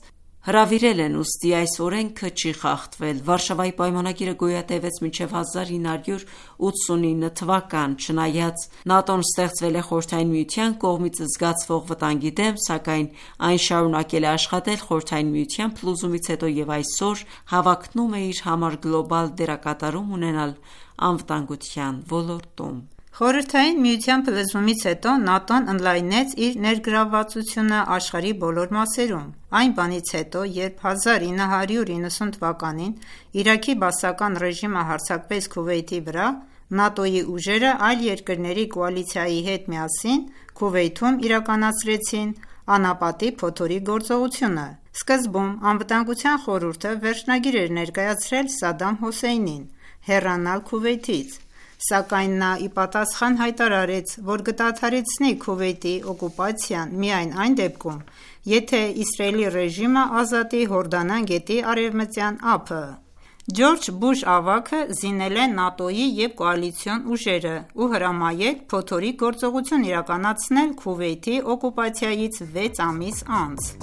[SPEAKER 7] հրավիրել են, ուստի այս օրենքը չի խախտվել։ Վարշավայի պայմանագիրը գոյատևեց մինչև 1989 թվական, չնայած ՆԱՏՕ-ն ստեղծվել է Խորհրդային Միության կողմից զգացվող վտանգի դեմ, սակայն այն շարունակել է աշխատել Խորհրդային Միության փլուզումից հետո և այսօր հավակնում է իր համար գլոբալ դերակատարում ունենալ անվտանգության ոլորտում։
[SPEAKER 8] Խորհրդային Միության փլուզումից հետո ՆԱՏՕ-ն ընդլայնեց իր ներգրավվածությունը աշխարհի բոլոր մասերում։ Այն բանից հետո, երբ 1990 թվականին Իրաքի բաասական ռեժիմը հարձակվեց Քուվեյթի վրա, ՆԱՏՕ-ի ուժերը այլ երկրների կոալիցիայի հետ միասին Քուվեյթում իրականացրեցին անապատի փոթորիկ գործողությունը։ Սկզբում Անվտանգության խորհուրդը վերջնագիր էր ներկայացրել Սադամ Հուսեյնին հեռանալ Քուվեյթից, սակայն նա ի պատասխան հայտարարեց, որ կդադարեցնի Քուվեյթի օկուպացիան միայն այն դեպքում, եթե Իսրայելի ռեժիմը ազատի Հորդանան գետի արևմտյան ափը։ Ջորջ Բուշ ավագը զինել է ՆԱՏՕ-ի և կոալիցիոն ուժերը ու հրամայել փոթորիկ գործողություն իրականացնել Քուվեյթի օկուպացիայից 6 ամիս անց։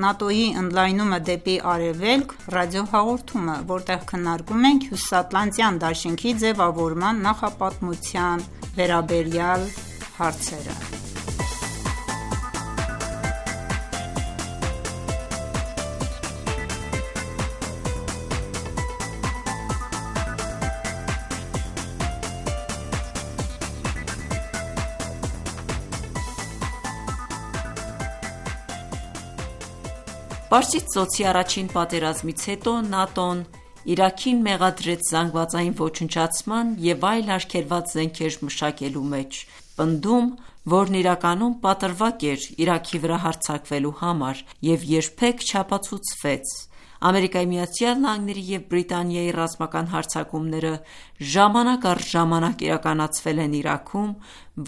[SPEAKER 8] ՆԱՏՕ-ի ընդլայնումը դեպի արևելք ռադիոհաղորդումը, որտեղ քննարկում ենք Հյուսիսատլանտյան դաշինքի ձևավորման նախապատմության վերաբերյալ հարցերը։
[SPEAKER 7] Պարսից ծոցի առաջին պատերազմից հետո ՆԱՏՕ-ն Իրաքին մեղադրեց զանգվածային ոչնչացման և այլ արգելված զենքեր մշակելու մեջ, պնդում, որն իրականում պատրվակ էր Իրաքի վրա հարձակվելու համար և երբեք չապացուցվեց։ ԱՄՆ-ի և Բրիտանիայի ռազմական հարձակումները ժամանակ առ ժամանակ իրականացվել են Իրաքում,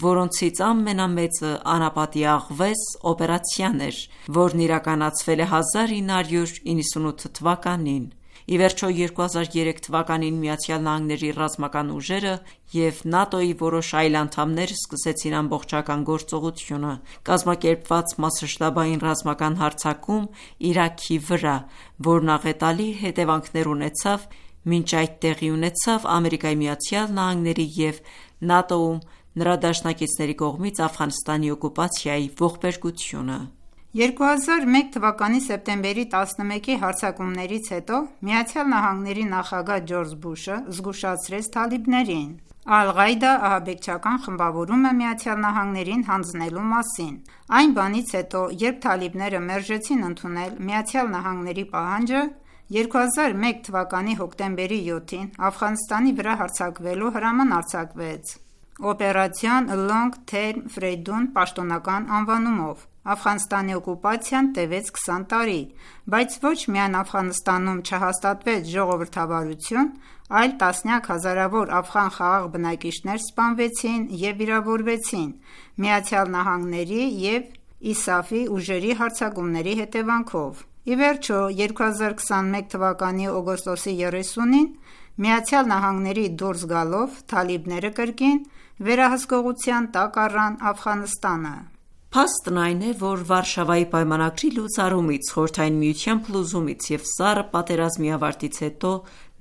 [SPEAKER 7] որոնցից ամենամեծը անապատի աղվես օպերացիան էր, որն իրականացվել է 1998 թվականին։ Ի վերջո 2003 թվականին ԱՄՆ-ի ռազմական ուժերը և ՆԱՏՕ-ի որոշ այլ անդամներ սկսեցին ամբողջական գործողությունը՝ կազմակերպված մասշտաբային ռազմական հարձակում Իրաքի վրա, որն աղետալի հետևանքներ ունեցավ, մինչ այդ տեղի ունեցավ ԱՄՆ-ի և ՆԱՏՕ-ում նրա դաշնակիցների կողմից Աֆղանստանի օկուպացիայի ողբերգությունը։
[SPEAKER 8] 2001 թվականի սեպտեմբերի 11-ի հարձակումներից հետո ԱՄՆ նախագահ Ջորջ Բուշը զգուշացրեց թալիբներին Ալ-Ղաիդա ահաբեկչական խմբավորումը ԱՄՆ-ին հանձնելու մասին։ Այն բանից հետո, երբ թալիբները մերժեցին ընդունել ԱՄՆ պահանջը, 2001 թվականի հոկտեմբերի 7-ին Աֆղանստանի վրա հարձակվելու հրաման արձակվեց «Օպերացիոն Long Term Freedom» պաշտոնական անվանումով։ Աֆղանստանի օկուպացիան տևեց 20 տարի, բայց ոչ միայն Աֆղանստանում չհաստատվեց ժողովրդավարություն, այլ տասնյակ հազարավոր աֆղան խաղաղ բնակիչներ սպանվեցին և վիրավորվեցին ԱՄՆ-ի և ISAF-ի ուժերի հարձակումների հետևանքով։ Ի վերջո, 2021 թվականի օգոստոսի 30-ին ԱՄՆ դուրս գալով, թալիբները կրկին վերահսկողության տակ առան Աֆղանստանը։
[SPEAKER 7] Փաստն այն է, որ Վարշավայի պայմանագրի լուծարումից, Խորհրդային Միության փլուզումից և Սառը պատերազմի ավարտից հետո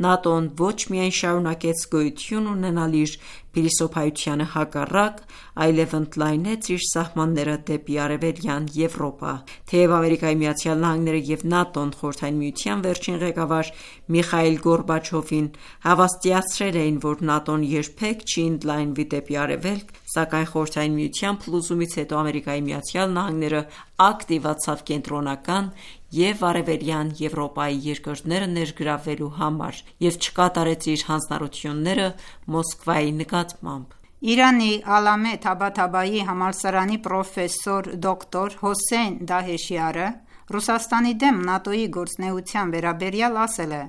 [SPEAKER 7] ՆԱՏՕ-ն ոչ միայն շարունակեց գոյություն ունենալ իր փիլիսոփայությանը հակառակ, այլև ընդլայնեց իր սահմանները դեպի Արևելյան Եվրոպա։ Թեև ԱՄՆ-ն և ՆԱՏՕ-ն Խորհրդային Միության վերջին ղեկավար Միխայիլ Գորբաչովին հավաստիացրել էին, որ ՆԱՏՕ-ն երբեք չի ընդլայնվի դեպի Արևելք, սակայն Խորհրդային Միության փլուզումից հետո ԱՄՆ-ն ակտիվացավ Կենտրոնական և Արևելյան Եվրոպայի երկրները ներգրավելու համար և չկատարեց իր հանձնառությունները Մոսկվայի նկատմամբ։
[SPEAKER 8] Իրանի Ալամե Թաբաթաբայի համալսարանի պրոֆեսոր դոկտոր Հոսեյն Դահեշյարը Ռուսաստանի դեմ ՆԱՏՕ-ի գործունեության վերաբերյալ ասել է.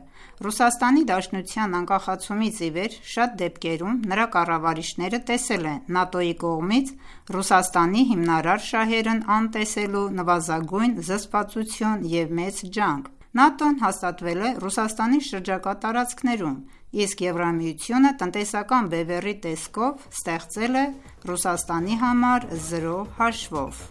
[SPEAKER 8] «Ռուսաստանի Դաշնության անկախացումից ի վեր շատ դեպքերում նրա կառավարիչները տեսել են ՆԱՏՕ-ի կողմից Ռուսաստանի հիմնարար շահերն անտեսելու նվազագույն զսպվածություն և մեծ ջանք։ ՆԱՏՕ-ն հաստատվել է Ռուսաստանի շրջակա տարածքներում, իսկ Եվրամիությունը տնտեսական բևեռի տեսքով ստեղծել է Ռուսաստանի համար զրո հաշվով»։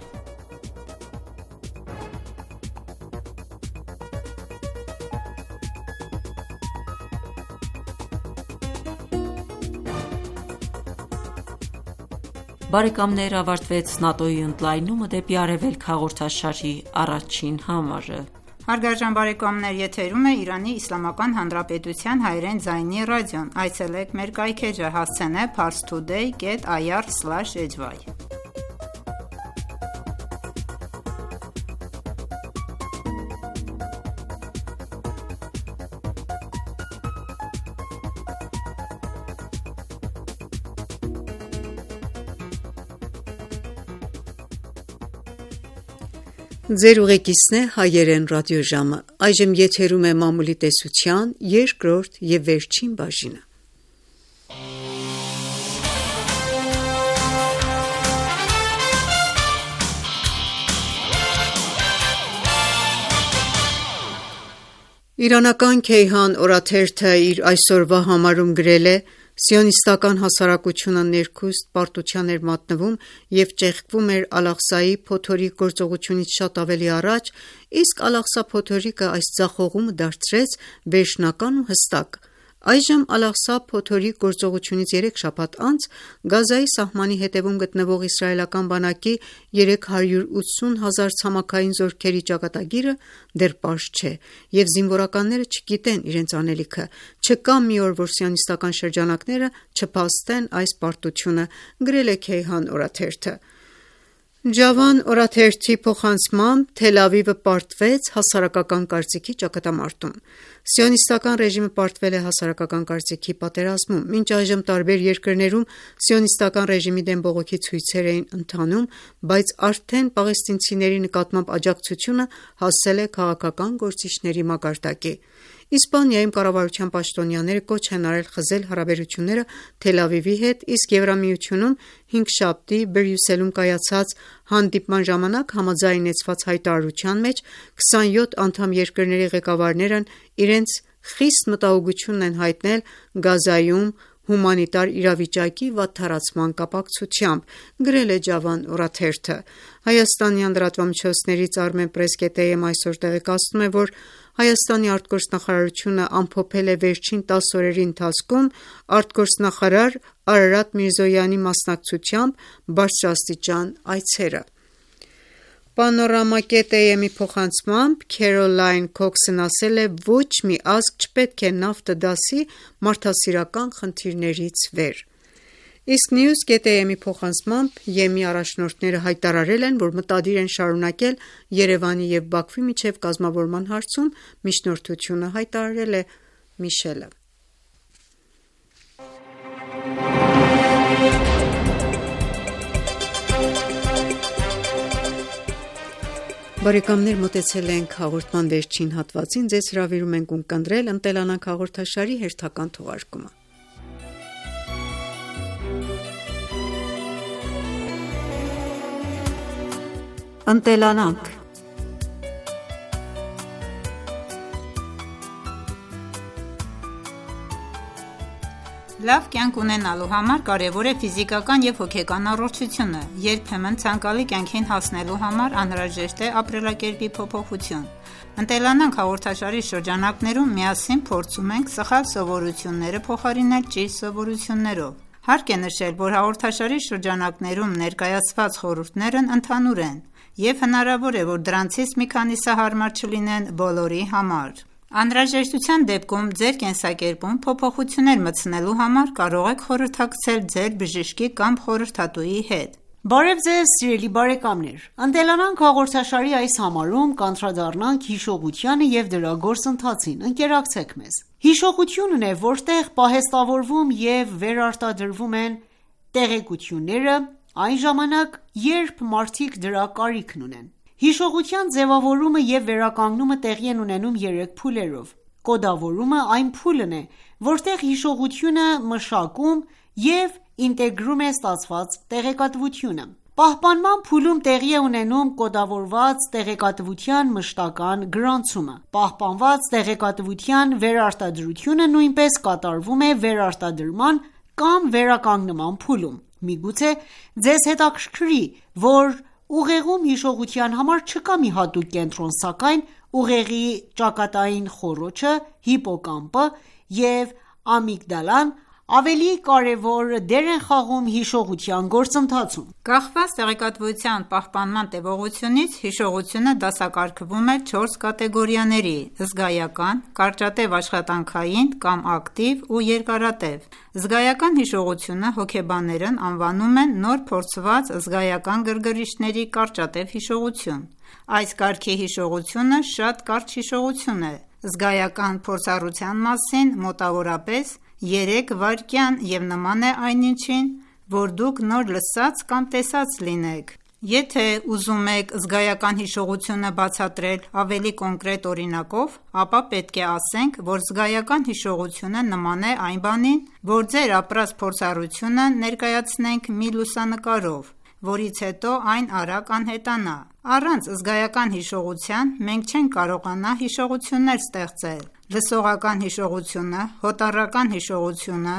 [SPEAKER 7] Բարեկամներ, ավարտվեց ՆԱՏՕ-ի ընդլայնումը դեպի Արևելք հաղորդաշարի առաջին համարը։
[SPEAKER 8] Հարգարժան բարեկամներ, եթերում է Իրանի Իսլամական Հանրապետության հայերեն ձայնի ռադիոն։ Այցելեք մեր կայքէջը հասցենե parstoday.ir/hy
[SPEAKER 2] Ձեր ուղեկիցն է հայերեն ռադիոժամը։ Այժմ եթերում է մամուլի տեսության երկրորդ և վերջին բաժինը։ Իրանական Քեյհան օրաթերթը իր այսօրվա համարում գրել է. «Սիոնիստական հասարակությունը ներքուստ պարտության էր մատնվում և ճեղքվում էր Ալ-Աղսայի փոթորիկ գործողությունից շատ ավելի առաջ, իսկ Ալ-Աղսա փոթորիկը այս ձախողումը դարձրեց վերջնական ու հստակ։ Այժմ Ալ-Աղսա փոթորիկ գործողությունից 3 շաբաթ անց Գազայի սահմանի հետևում գտնվող իսրայելական բանակի 380 հազար ցամաքային զորքերի ճակատագիրը դեռ պարզ չէ, և զինվորականները չգիտեն իրենց անելիքը։ Չկա մի օր, որ սիոնիստական շրջանակները չփաստեն այս պարտությունը», գրել է Քեյհան օրաթերթը։ Ջավան օրաթերթի փոխանցմամբ Թել Ավիվը պարտվեց հասարակական կարծիքի ճակատամարտում։ Սիոնիստական ռեժիմը պարտվել է հասարակական կարծիքի պատերազմում։ Մինչ այժմ տարբեր երկրներում սիոնիստական ռեժիմի դեմ բողոքի ցույցեր էին ընթանում, բայց արդեն պաղեստինցիների նկատմամբ աջակցությունը հասել է քաղաքական գործիչների մակարդակի։ Իսպանիայում կառավարության պաշտոնյաները կոչ են արել խզել հարաբերությունները Թել Ավիվի հետ, իսկ Եվրամիությունում հինգշաբթի Բրյուսելում կայացած հանդիպման ժամանակ համաձայնեցված հայտարարության մեջ 27 անդամ երկրների ղեկավարներն իրենց խիստ մտահոգությունն են հայտնել Գազայում հումանիտար իրավիճակի վատթարացման կապակցությամբ, գրել է Ջավան օրաթերթը։ Հայաստանյան լրատվամիջոցներից Armenpress.am այսօր տեղեկացնում է, որ Հայաստանի արտգործնախարարությունը ամփոփել է վերջին 10 օրերի ընթացքում արտգործնախարար Արարատ Միրզոյանի մասնակցությամբ բարձրաստիճան այցերը։ Panorama.am-ի փոխանցմամբ Քերոլայն Քոքսն ասել է. ոչ մի ազգ չպետք է նավթը դասի մարդասիրական խնդիրներից վեր։ Իսկ News.am-ի փոխանցմամբ ԵՄ-ի առաջնորդները հայտարարել են, որ մտադիր են շարունակել Երևանի և Բաքվի միջև կազմավորման հարցում միջնորդությունը, հայտարարել է Միշելը։ Բարեկամներ, մոտեցել ենք հաղորդման վերջին հատվածին, ձեզ հրավիրում ենք ունկնդրել «Ընտելանանք» հաղորդաշարի հերթական թողարկումը։ Ընտելանանք։
[SPEAKER 8] Լավ կյանք ունենալու համար կարևոր է ֆիզիկական և հոգեկան առողջությունը։ Երբեմն ցանկալի կյանքին հասնելու համար անհրաժեշտ է ապրելակերպի փոփոխություն։ «Ընտելանանք» հաղորդաշարի շրջանակներում միասին փորձում ենք սխալ սովորությունները փոխարինել ճիշտ սովորություններով։ Հարկ է նշել, որ հաղորդաշարի շրջանակներում ներկայացված խորհուրդներն ընդհանուր են, և հնարավոր է, որ դրանցից մի քանիսը հարմար չլինեն բոլորի համար։ Անհրաժեշտության դեպքում ձեր կենսակերպում փոփոխություններ մտցնելու համար կարող եք խորհրդակցել ձեր բժշկի կամ խորհրդատուի հետ։
[SPEAKER 9] Բարև ձեզ, սիրելի բարեկամներ։ «Ընտելանանք» հաղորդաշարի այս համարում կանդրադառնանք հիշողությանը և դրա գործընթացին։ Ընկերակցեք մեզ։ Հիշողությունն է, որտեղ պահեստավորվում և վերարտադրվում են տեղեկությունները այն ժամանակ, երբ մարդիկ դրա կարիքն ունեն։ Հիշողության ձևավորումը և վերականգնումը տեղի են ունենում 3 փուլերով։ Կոդավորումը այն փուլն է, որտեղ հիշողությունը մշակում և ինտեգրում է ստացված տեղեկատվությունը։ Պահպանման փուլում տեղի է ունենում կոդավորված տեղեկատվության մշտական գրանցումը։ Պահպանված տեղեկատվության վերարտադրությունը նույնպես կատարվում է վերարտադրման կամ վերականգնման փուլում։ Միգուցե ձեզ հետաքրքրի, որ ուղեղում հիշողության համար չկա մի հատուկ կենտրոն, սակայն ուղեղի ճակատային խոռոչը, հիպոկամպը և ամիգդալան ավելի կարևոր դեր են խաղում հիշողության գործընթացում։
[SPEAKER 8] Կախված տեղեկատվության պահպանման տևողությունից, հիշողությունը դասակարգվում է 4 կատեգորիաների՝ զգայական, կարճատև աշխատանքային կամ ակտիվ ու երկարատև։ Զգայական հիշողությունը հոգեբաններն անվանում են նոր փորձված զգայական գրգռիչների կարճատև հիշողություն։ Այս կարգի հիշողությունը շատ կարճ հիշողություն է։ Զգայական փորձառության մասին մոտավորապես 3 վայրկյան և նման է այնինչին, որ դուք նոր լսած կամ տեսած լինեք։ Եթե ուզում եք զգայական հիշողությունը բացատրել ավելի կոնկրետ օրինակով, ապա պետք է ասենք, որ զգայական հիշողությունը նման է այն բանին, որ ձեր ապրած փորձառությունը ներկայացնենք մի լուսանկարով, որից հետո այն արագ անհետանա։ Առանց զգայական հիշողության մենք չենք կարողանա հիշողություններ ստեղծել։ Լսողական հիշողությունը, հոտառական հիշողությունը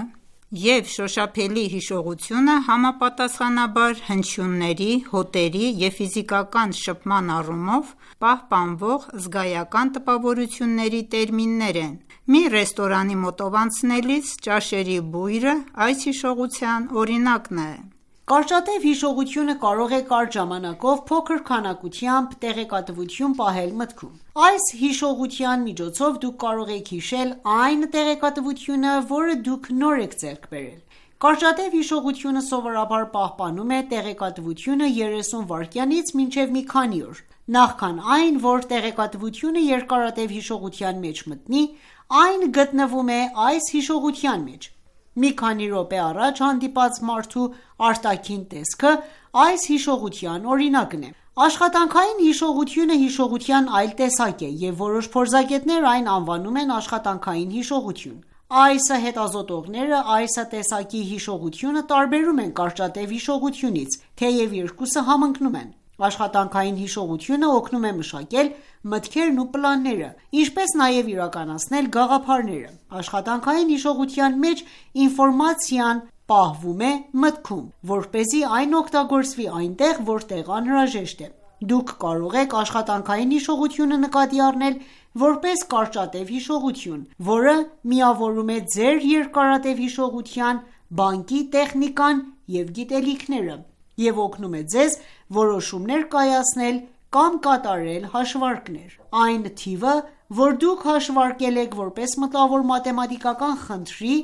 [SPEAKER 8] և շոշափելի հիշողությունը համապատասխանաբար հնչյունների, հոտերի և ֆիզիկական շփման առումով պահպանվող զգայական տպավորությունների տերմիններ են։ Մի ռեստորանի մոտով անցնելիս ճաշերի բույրը այս հիշողության օրինակն է։
[SPEAKER 9] Կարճատև հիշողությունը կարող է կարճ ժամանակով փոքր քանակությամբ տեղեկատվություն պահել մտքում։ Այս հիշողության միջոցով դուք կարող եք հիշել այն տեղեկատվությունը, որը դուք նոր եք ձեռք բերել։ Կարճատև հիշողությունը սովորաբար պահպանում է տեղեկատվությունը 30 վայրկյանից մինչև մի քանի օր, նախքան այն, որ տեղեկատվությունը երկարատև հիշողության մեջ մտնի, այն գտնվում է այս հիշողության մեջ։ Մի քանի րոպե առաջ հանդիպած մարդու արտաքին տեսքը այս հիշողության օրինակն է։ Աշխատանքային հիշողությունը հիշողության այլ տեսակ է, և որոշ փորձագետներ այն անվանում են աշխատանքային հիշողություն։ Այս հետազոտողները այս տեսակի հիշողությունը տարբերում են կարճատև հիշողությունից, թեև երկուսը համընկնում են։ Աշխատանքային հիշողությունը օգնում է մշակել մտքերն ու պլանները, ինչպես նաև իրականացնել գաղափարները։ Աշխատանքային հիշողության մեջ ինֆորմացիան պահվում է մտքում, որպեսզի այն օգտագործվի այնտեղ, որտեղ անհրաժեշտ է։ Դուք կարող եք աշխատանքային հիշողությունը նկատի առնել որպես կարճատև հիշողություն, որը միավորում է ձեր երկարատև հիշողության բանկի տեխնիկան և գիտելիքները և օգնում է ձեզ որոշումներ կայացնել կամ կատարել հաշվարկներ։ Այն թիվը, որ դուք հաշվարկել եք որպես մտավոր մաթեմատիկական խնդրի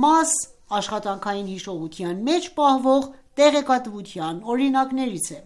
[SPEAKER 9] մաս, աշխատանքային հիշողության մեջ պահվող տեղեկատվության օրինակներից է։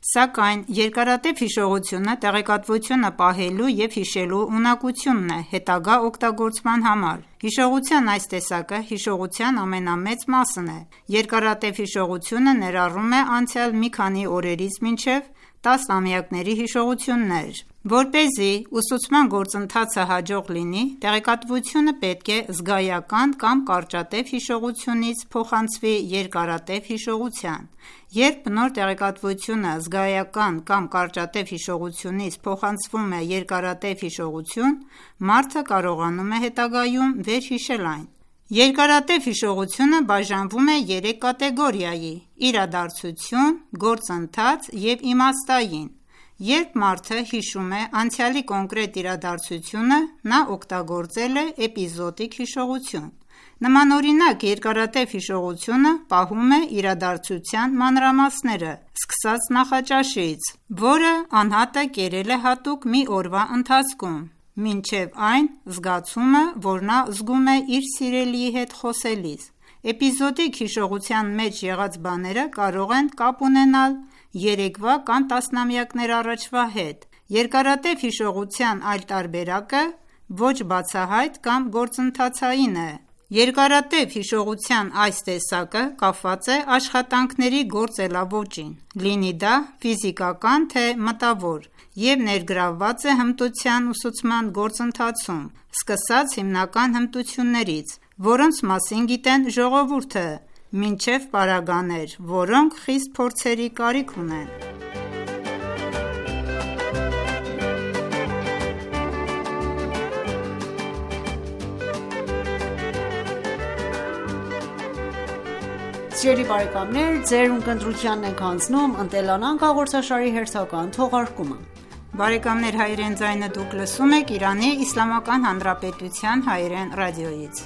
[SPEAKER 8] Սակայն երկարատև հիշողությունը տեղեկատվությունը պահելու և հիշելու ունակությունն է հետագա օգտագործման համար։ Հիշողության այս տեսակը հիշողության ամենամեծ մասն է։ Երկարատև հիշողությունը ներառում է անցյալ մի քանի օրերից մինչև 10 ամյակների հիշողություններ։ Որպեսզի ուսուցման գործընթացը հաջող լինի, տեղեկատվությունը պետք է զգայական կամ կարճատև հիշողությունից փոխանցվի երկարատև հիշողության։ Երբ նոր տեղեկատվությունը զգայական կամ կարճատև հիշողությունից փոխանցվում է երկարատև հիշողություն, մարդը կարողանում է հետագայում վերհիշել այն։ Երկարատև հիշողությունը բաժանվում է 3 կատեգորիայի՝ իրադարձություն, գործընթաց և իմաստային։ Երբ մարդը հիշում է անցյալի կոնկրետ իրադարձությունը, նա օգտագործել է էպիզոդիկ հիշողություն։ Նմանօրինակ երկարատև հիշողությունը պահում է իրադարձության մանրամասները, սկսած նախաճաշից, որը անհատը կերել է հատուկ մի օրվա ընթացքում, մինչև այն զգացումը, որ նա զգում է իր սիրելիի հետ խոսելիս։ Էպիզոդիկ հիշողության մեջ եղած բաները կարող են կապ ունենալ երեկվա կամ տասնամյակներ առաջվա հետ։ Երկարատև հիշողության այլ տարբերակը ոչ բացահայտ կամ գործընթացային է։ Երկարատև հիշողության այս տեսակը կապված է աշխատանքների գործելաոճին, լինի դա ֆիզիկական թե մտավոր, և ներգրավված է հմտության ուսուցման գործընթացում, սկսած հիմնական հմտություններից, որոնց մասին գիտեն ժողովուրդը, մինչև պարագաներ, որոնք խիստ փորձերի կարիք ունեն։
[SPEAKER 9] Սիրելի բարեկամներ, ձեր ունկնդրությանն ենք հանձնում «Ընտելանանք» հաղորդաշարի հերթական թողարկումը։
[SPEAKER 8] Բարեկամներ, հայրեն ձայնը դուք լսում եք Իրանի Իսլամական Հանրապետության հայրեն ռադիոյից։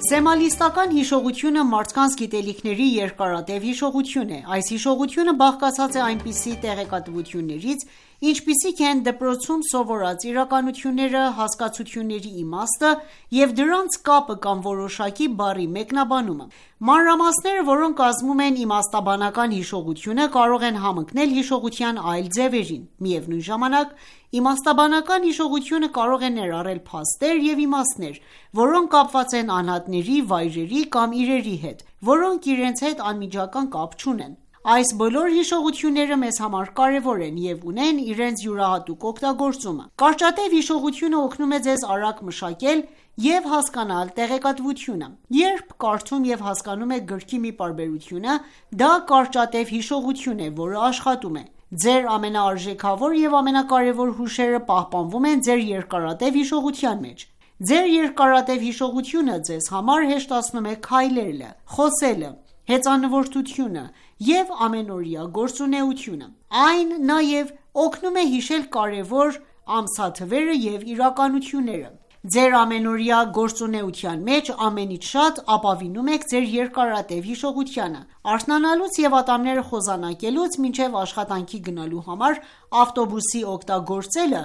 [SPEAKER 9] Սեմալիստական հիշողությունը մարդկանց գիտելիքների երկարատև հիշողություն է։ Այս հիշողությունը բաղկացած է այնպիսի տեղեկատվություններից, ինչպիսիք են դպրոցում սովորած իրականությունները, հասկացությունների իմաստը և դրանց կապը կամ որոշակի բառի մեկնաբանումը։ Մանրամասները, որոնք կազմում են իմաստաբանական հիշողությունը, կարող են համընկնել հիշողության այլ ձևերին։ Միևնույն ժամանակ, իմաստաբանական հիշողությունը կարող է ներառել փաստեր և իմաստներ, որոնք կապված են անհատների, վայրերի կամ իրերի հետ, որոնք իրենց հետ անմիջական կապ չունեն։ Այս բոլոր հիշողությունները մեզ համար կարևոր են և ունեն իրենց յուրահատուկ օգտագործումը։ Կարճատև հիշողությունը օգնում է ձեզ արագ մշակել և հասկանալ տեղեկատվությունը։ Երբ կարդում և հասկանում եք գրքի մի պարբերությունը, դա կարճատև հիշողություն է, որը աշխատում է։ Ձեր ամենաարժեքավոր և ամենակարևոր հուշերը պահպանվում են ձեր երկարատև հիշողության մեջ։ Ձեր երկարատև հիշողությունը ձեզ համար հեշտացնում է քայլելը, խոսելը, հեծանվորդությունը և ամենօրյա գործունեությունը։ Այն նաև օգնում է հիշել կարևոր ամսաթվերը և իրականությունները։ Ձեր ամենօրյա գործունեության մեջ ամենից շատ ապավինում եք ձեր երկարատև հիշողությանը։ Արթնանալուց և ատամները խոզանակելուց մինչև աշխատանքի գնալու համար ավտոբուսի օգտագործելը,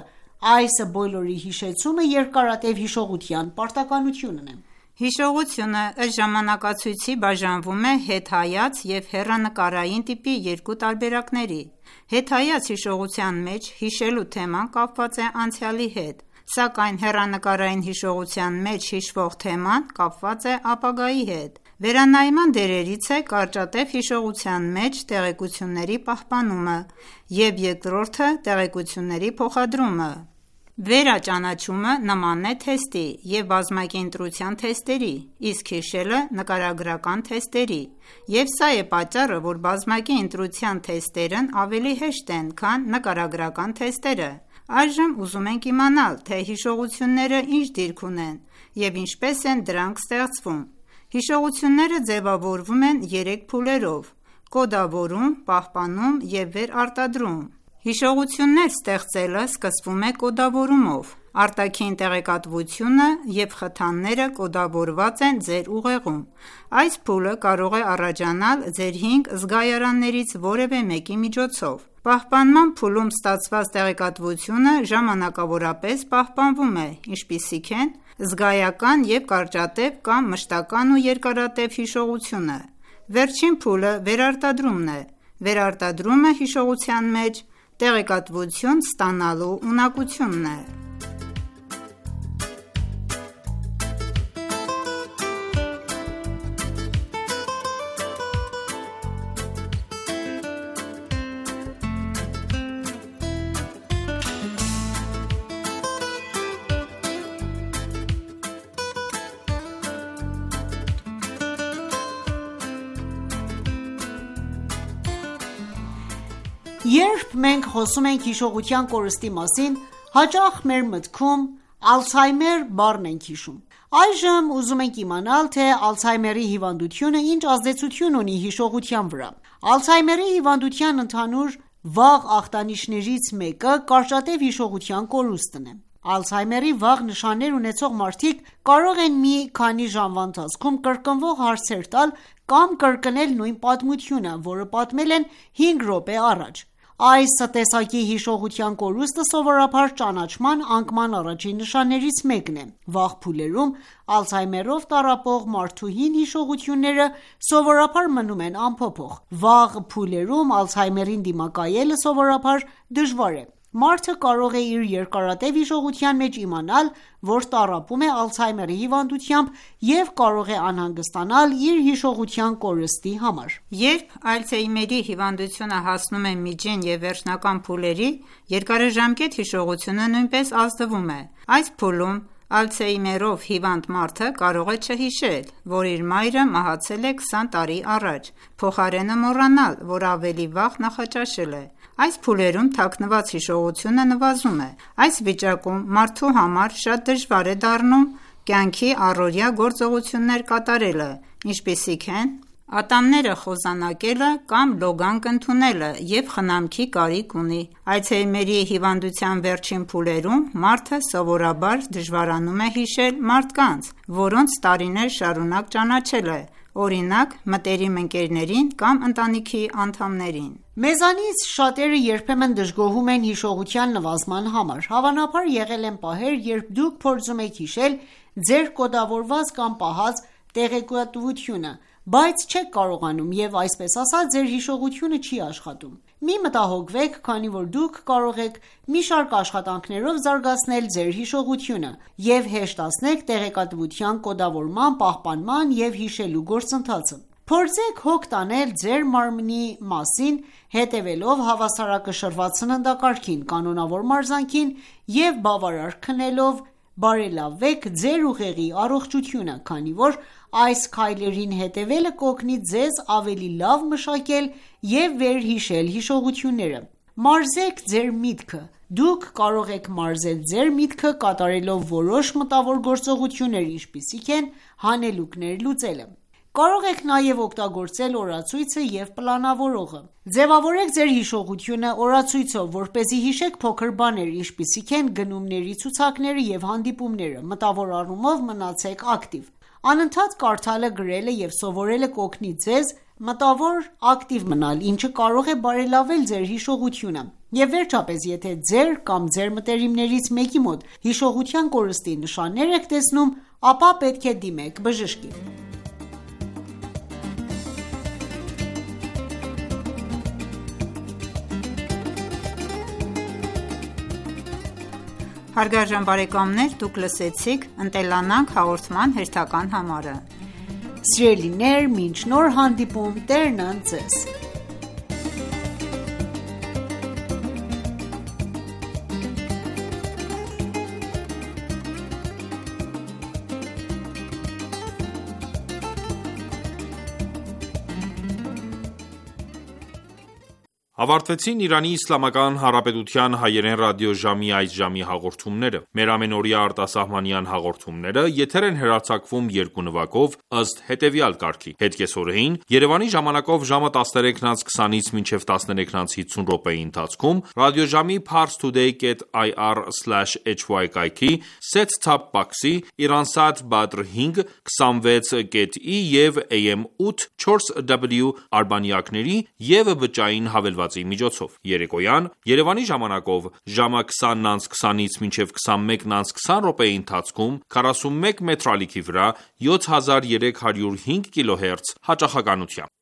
[SPEAKER 9] այս բոլորի հիշեցումը երկարատև հիշողության պարտականությունն է։
[SPEAKER 8] Հիշողությունը ըստ ժամանակացույցի բաժանվում է հետհայաց և հեռանկարային տիպի երկու տարբերակների։ Հետհայաց հիշողության մեջ հիշելու թեման կապված է անցյալի հետ, սակայն հեռանկարային հիշողության մեջ հիշվող թեման կապված է ապագայի հետ։ Վերանայման դերերից է կարճատև հիշողության մեջ տեղեկությունների պահպանումը և երկրորդը տեղեկությունների փոխադրումը։ Վերաճանաչումը նման է թեստի և բազմակի ընտրության թեստերի, իսկ հիշելը նկարագրական թեստերի, և սա է պատճառը, որ բազմակի ընտրության թեստերն ավելի հեշտ են, քան նկարագրական թեստերը։ Այժմ ուզում ենք իմանալ, թե հիշողությունները ինչ դիրք ունեն և ինչպես են դրանք ստեղծվում։ Հիշողությունները ձևավորվում են 3 փուլերով՝ կոդավորում, պահպանում և վերարտադրում։ Հիշողություններ ստեղծելը սկսվում է կոդավորումով։ Արտաքին տեղեկատվությունը և խթանները կոդավորված են ձեր ուղեղում։ Այս փուլը կարող է առաջանալ ձեր 5 զգայարաններից որևէ մեկի միջոցով։ Պահպանման փուլում ստացված տեղեկատվությունը ժամանակավորապես պահպանվում է, ինչպիսիք են զգայական և կարճատև կամ մշտական ու երկարատև հիշողությունը։ Վերջին փուլը վերարտադրումն է։ Վերարտադրումը հիշողության մեջ տեղեկատվություն ստանալու ունակությունն է։
[SPEAKER 9] Երբ մենք խոսում ենք հիշողության կորստի մասին, հաճախ մեր մտքում Ալցհեյմեր բառն ենք հիշում։ Այժմ ուզում ենք իմանալ, թե Ալցհեյմերի հիվանդությունը ինչ ազդեցություն ունի հիշողության վրա։ Ալցհեյմերի հիվանդության ընդհանուր վաղ ախտանիշներից մեկը կարճատև հիշողության կորուստն է։ Ալցհեյմերի վաղ նշաններ ունեցող մարդիկ կարող են մի քանի ժամվա ընթացքում կրկնվող հարցեր տալ կամ կրկնել նույն պատմությունը, որը պատմել են 5 րոպե առաջ։ Այս տեսակի հիշողության կորուստը սովորաբար ճանաչման անկման առաջին նշաններից մեկն է։ Վաղ փուլերում Ալցհեյմերով տառապող մարդու հին հիշողությունները սովորաբար մնում են անփոփոխ։ Վաղ փուլերում Ալցհեյմերին դիմակայելը սովորաբար դժվար է։ Մարդը կարող է իր երկարատև հիշողության մեջ իմանալ, որ տառապում է Ալցհեյմերի հիվանդությամբ և կարող է անհանգստանալ իր հիշողության կորստի համար։
[SPEAKER 8] Երբ Ալցհեյմերի հիվանդությունը հասնում է միջին և վերջնական փուլերի, երկարաժամկետ հիշողությունը նույնպես ազդվում է։ Այս փուլում Ալցհեյմերով հիվանդ մարդը կարող է չհիշել, որ իր մայրը մահացել է 20 տարի առաջ, փոխարենը մոռանալ, որ ավելի վաղ նախաճաշել է։ Այս փուլերում թաքնված հիշողությունը նվազում է։ Այս վիճակում մարդու համար շատ դժվար է դառնում կյանքի առօրյա գործողություններ կատարելը, ինչպիսիք են ատամները խոզանակելը կամ լոգանք ընդունելը և խնամքի կարիք ունի։ Ալցհեյմերի հիվանդության վերջին փուլերում մարդը սովորաբար դժվարանում է հիշել մարդկանց, որոնց տարիներ շարունակ ճանաչել է, օրինակ մտերիմ ընկերներին կամ ընտանիքի անդամներին։
[SPEAKER 9] Մեզանից շատերը երբեմն դժգոհում են հիշողության նվազման համար։ Հավանաբար եղել են պահեր, երբ դուք փորձում եք հիշել ձեր կոդավորված կամ պահած տեղեկատվությունը, բայց չեք կարողանում և այսպես ասած ձեր հիշողությունը չի աշխատում։ Մի մտահոգվեք, քանի որ դուք կարող եք մի շարք աշխատանքներով զարգացնել ձեր հիշողությունը և հեշտացնել տեղեկատվության կոդավորման, պահպանման և հիշելու գործընթացը։ Փորձեք հոգ տանել ձեր մարմնի մասին, հետևելով հավասարակշռված սննդակարգին, կանոնավոր մարզանքին և բավարար քնելով, բարելավեք ձեր ուղեղի առողջությունը, քանի որ այս քայլերին հետևելը կօգնի ձեզ ավելի լավ մշակել և վերհիշել հիշողությունները։ Մարզեք ձեր միտքը։ Դուք կարող եք մարզել ձեր միտքը կատարելով որոշ մտավոր գործողություններ, ինչպիսիք են հանելուկներ լուծելը։ Կարող եք նաև օգտագործել օրացույցը և պլանավորողը։ Ձևավորեք ձեր հիշողությունը օրացույցով, որպեսզի հիշեք փոքր բաներ, ինչպիսիք են գնումների ցուցակները և հանդիպումները։ Մտավոր առումով մնացեք ակտիվ։ Անընդհատ կարդալը, գրելը և սովորելը կօգնի ձեզ մտավոր ակտիվ մնալ, ինչը կարող է բարելավել ձեր հիշողությունը։ Եվ վերջապես, եթե ձեր կամ ձեր մտերիմներից մեկի մոտ հիշողության կորստի նշաններ եք տեսնում, ապա պետք է դիմեք բժշկի։
[SPEAKER 8] Հարգարժան բարեկամներ, դուք լսեցիք «Ընտելանանք» հաղորդման հերթական համարը։
[SPEAKER 9] Սիրելիներ, մինչ նոր հանդիպում, Տերն ընդ ձեզ։
[SPEAKER 1] Ավարտվեցին Իրանի Իսլամական Հանրապետության հայերեն ռադիոժամի այս ժամի հաղորդումները։ Մեր ամենօրյա արտասահմանյան հաղորդումները եթեր են հեռարձակվում երկու նվագով ըստ հետևյալ կարգի: Հետկեսօրեին Երևանի ժամանակով ժամը 13:20-ից մինչև 13:50 րոպեի ընթացքում ռադիոժամի parstoday.ir/hy կայքի set-top box-ի, Iransat Badr 5 26.E եւ AM 8 4W արբանյակների եւ բջջային հավելվածի միջոցով։ Երեկոյան Երևանի ժամանակով ժամը 20:20-ից մինչև 21:20 րոպեի ընթացքում 41 մետրալիքի վրա 7305 kHz հաճախականությամբ։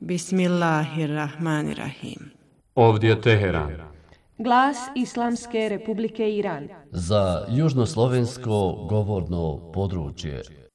[SPEAKER 10] Bismillahirrahmanirrahim.
[SPEAKER 11] Ovdje Teheran.
[SPEAKER 10] Glas Islamske Republike Iran.
[SPEAKER 12] Za južnoslovensko govorno područje.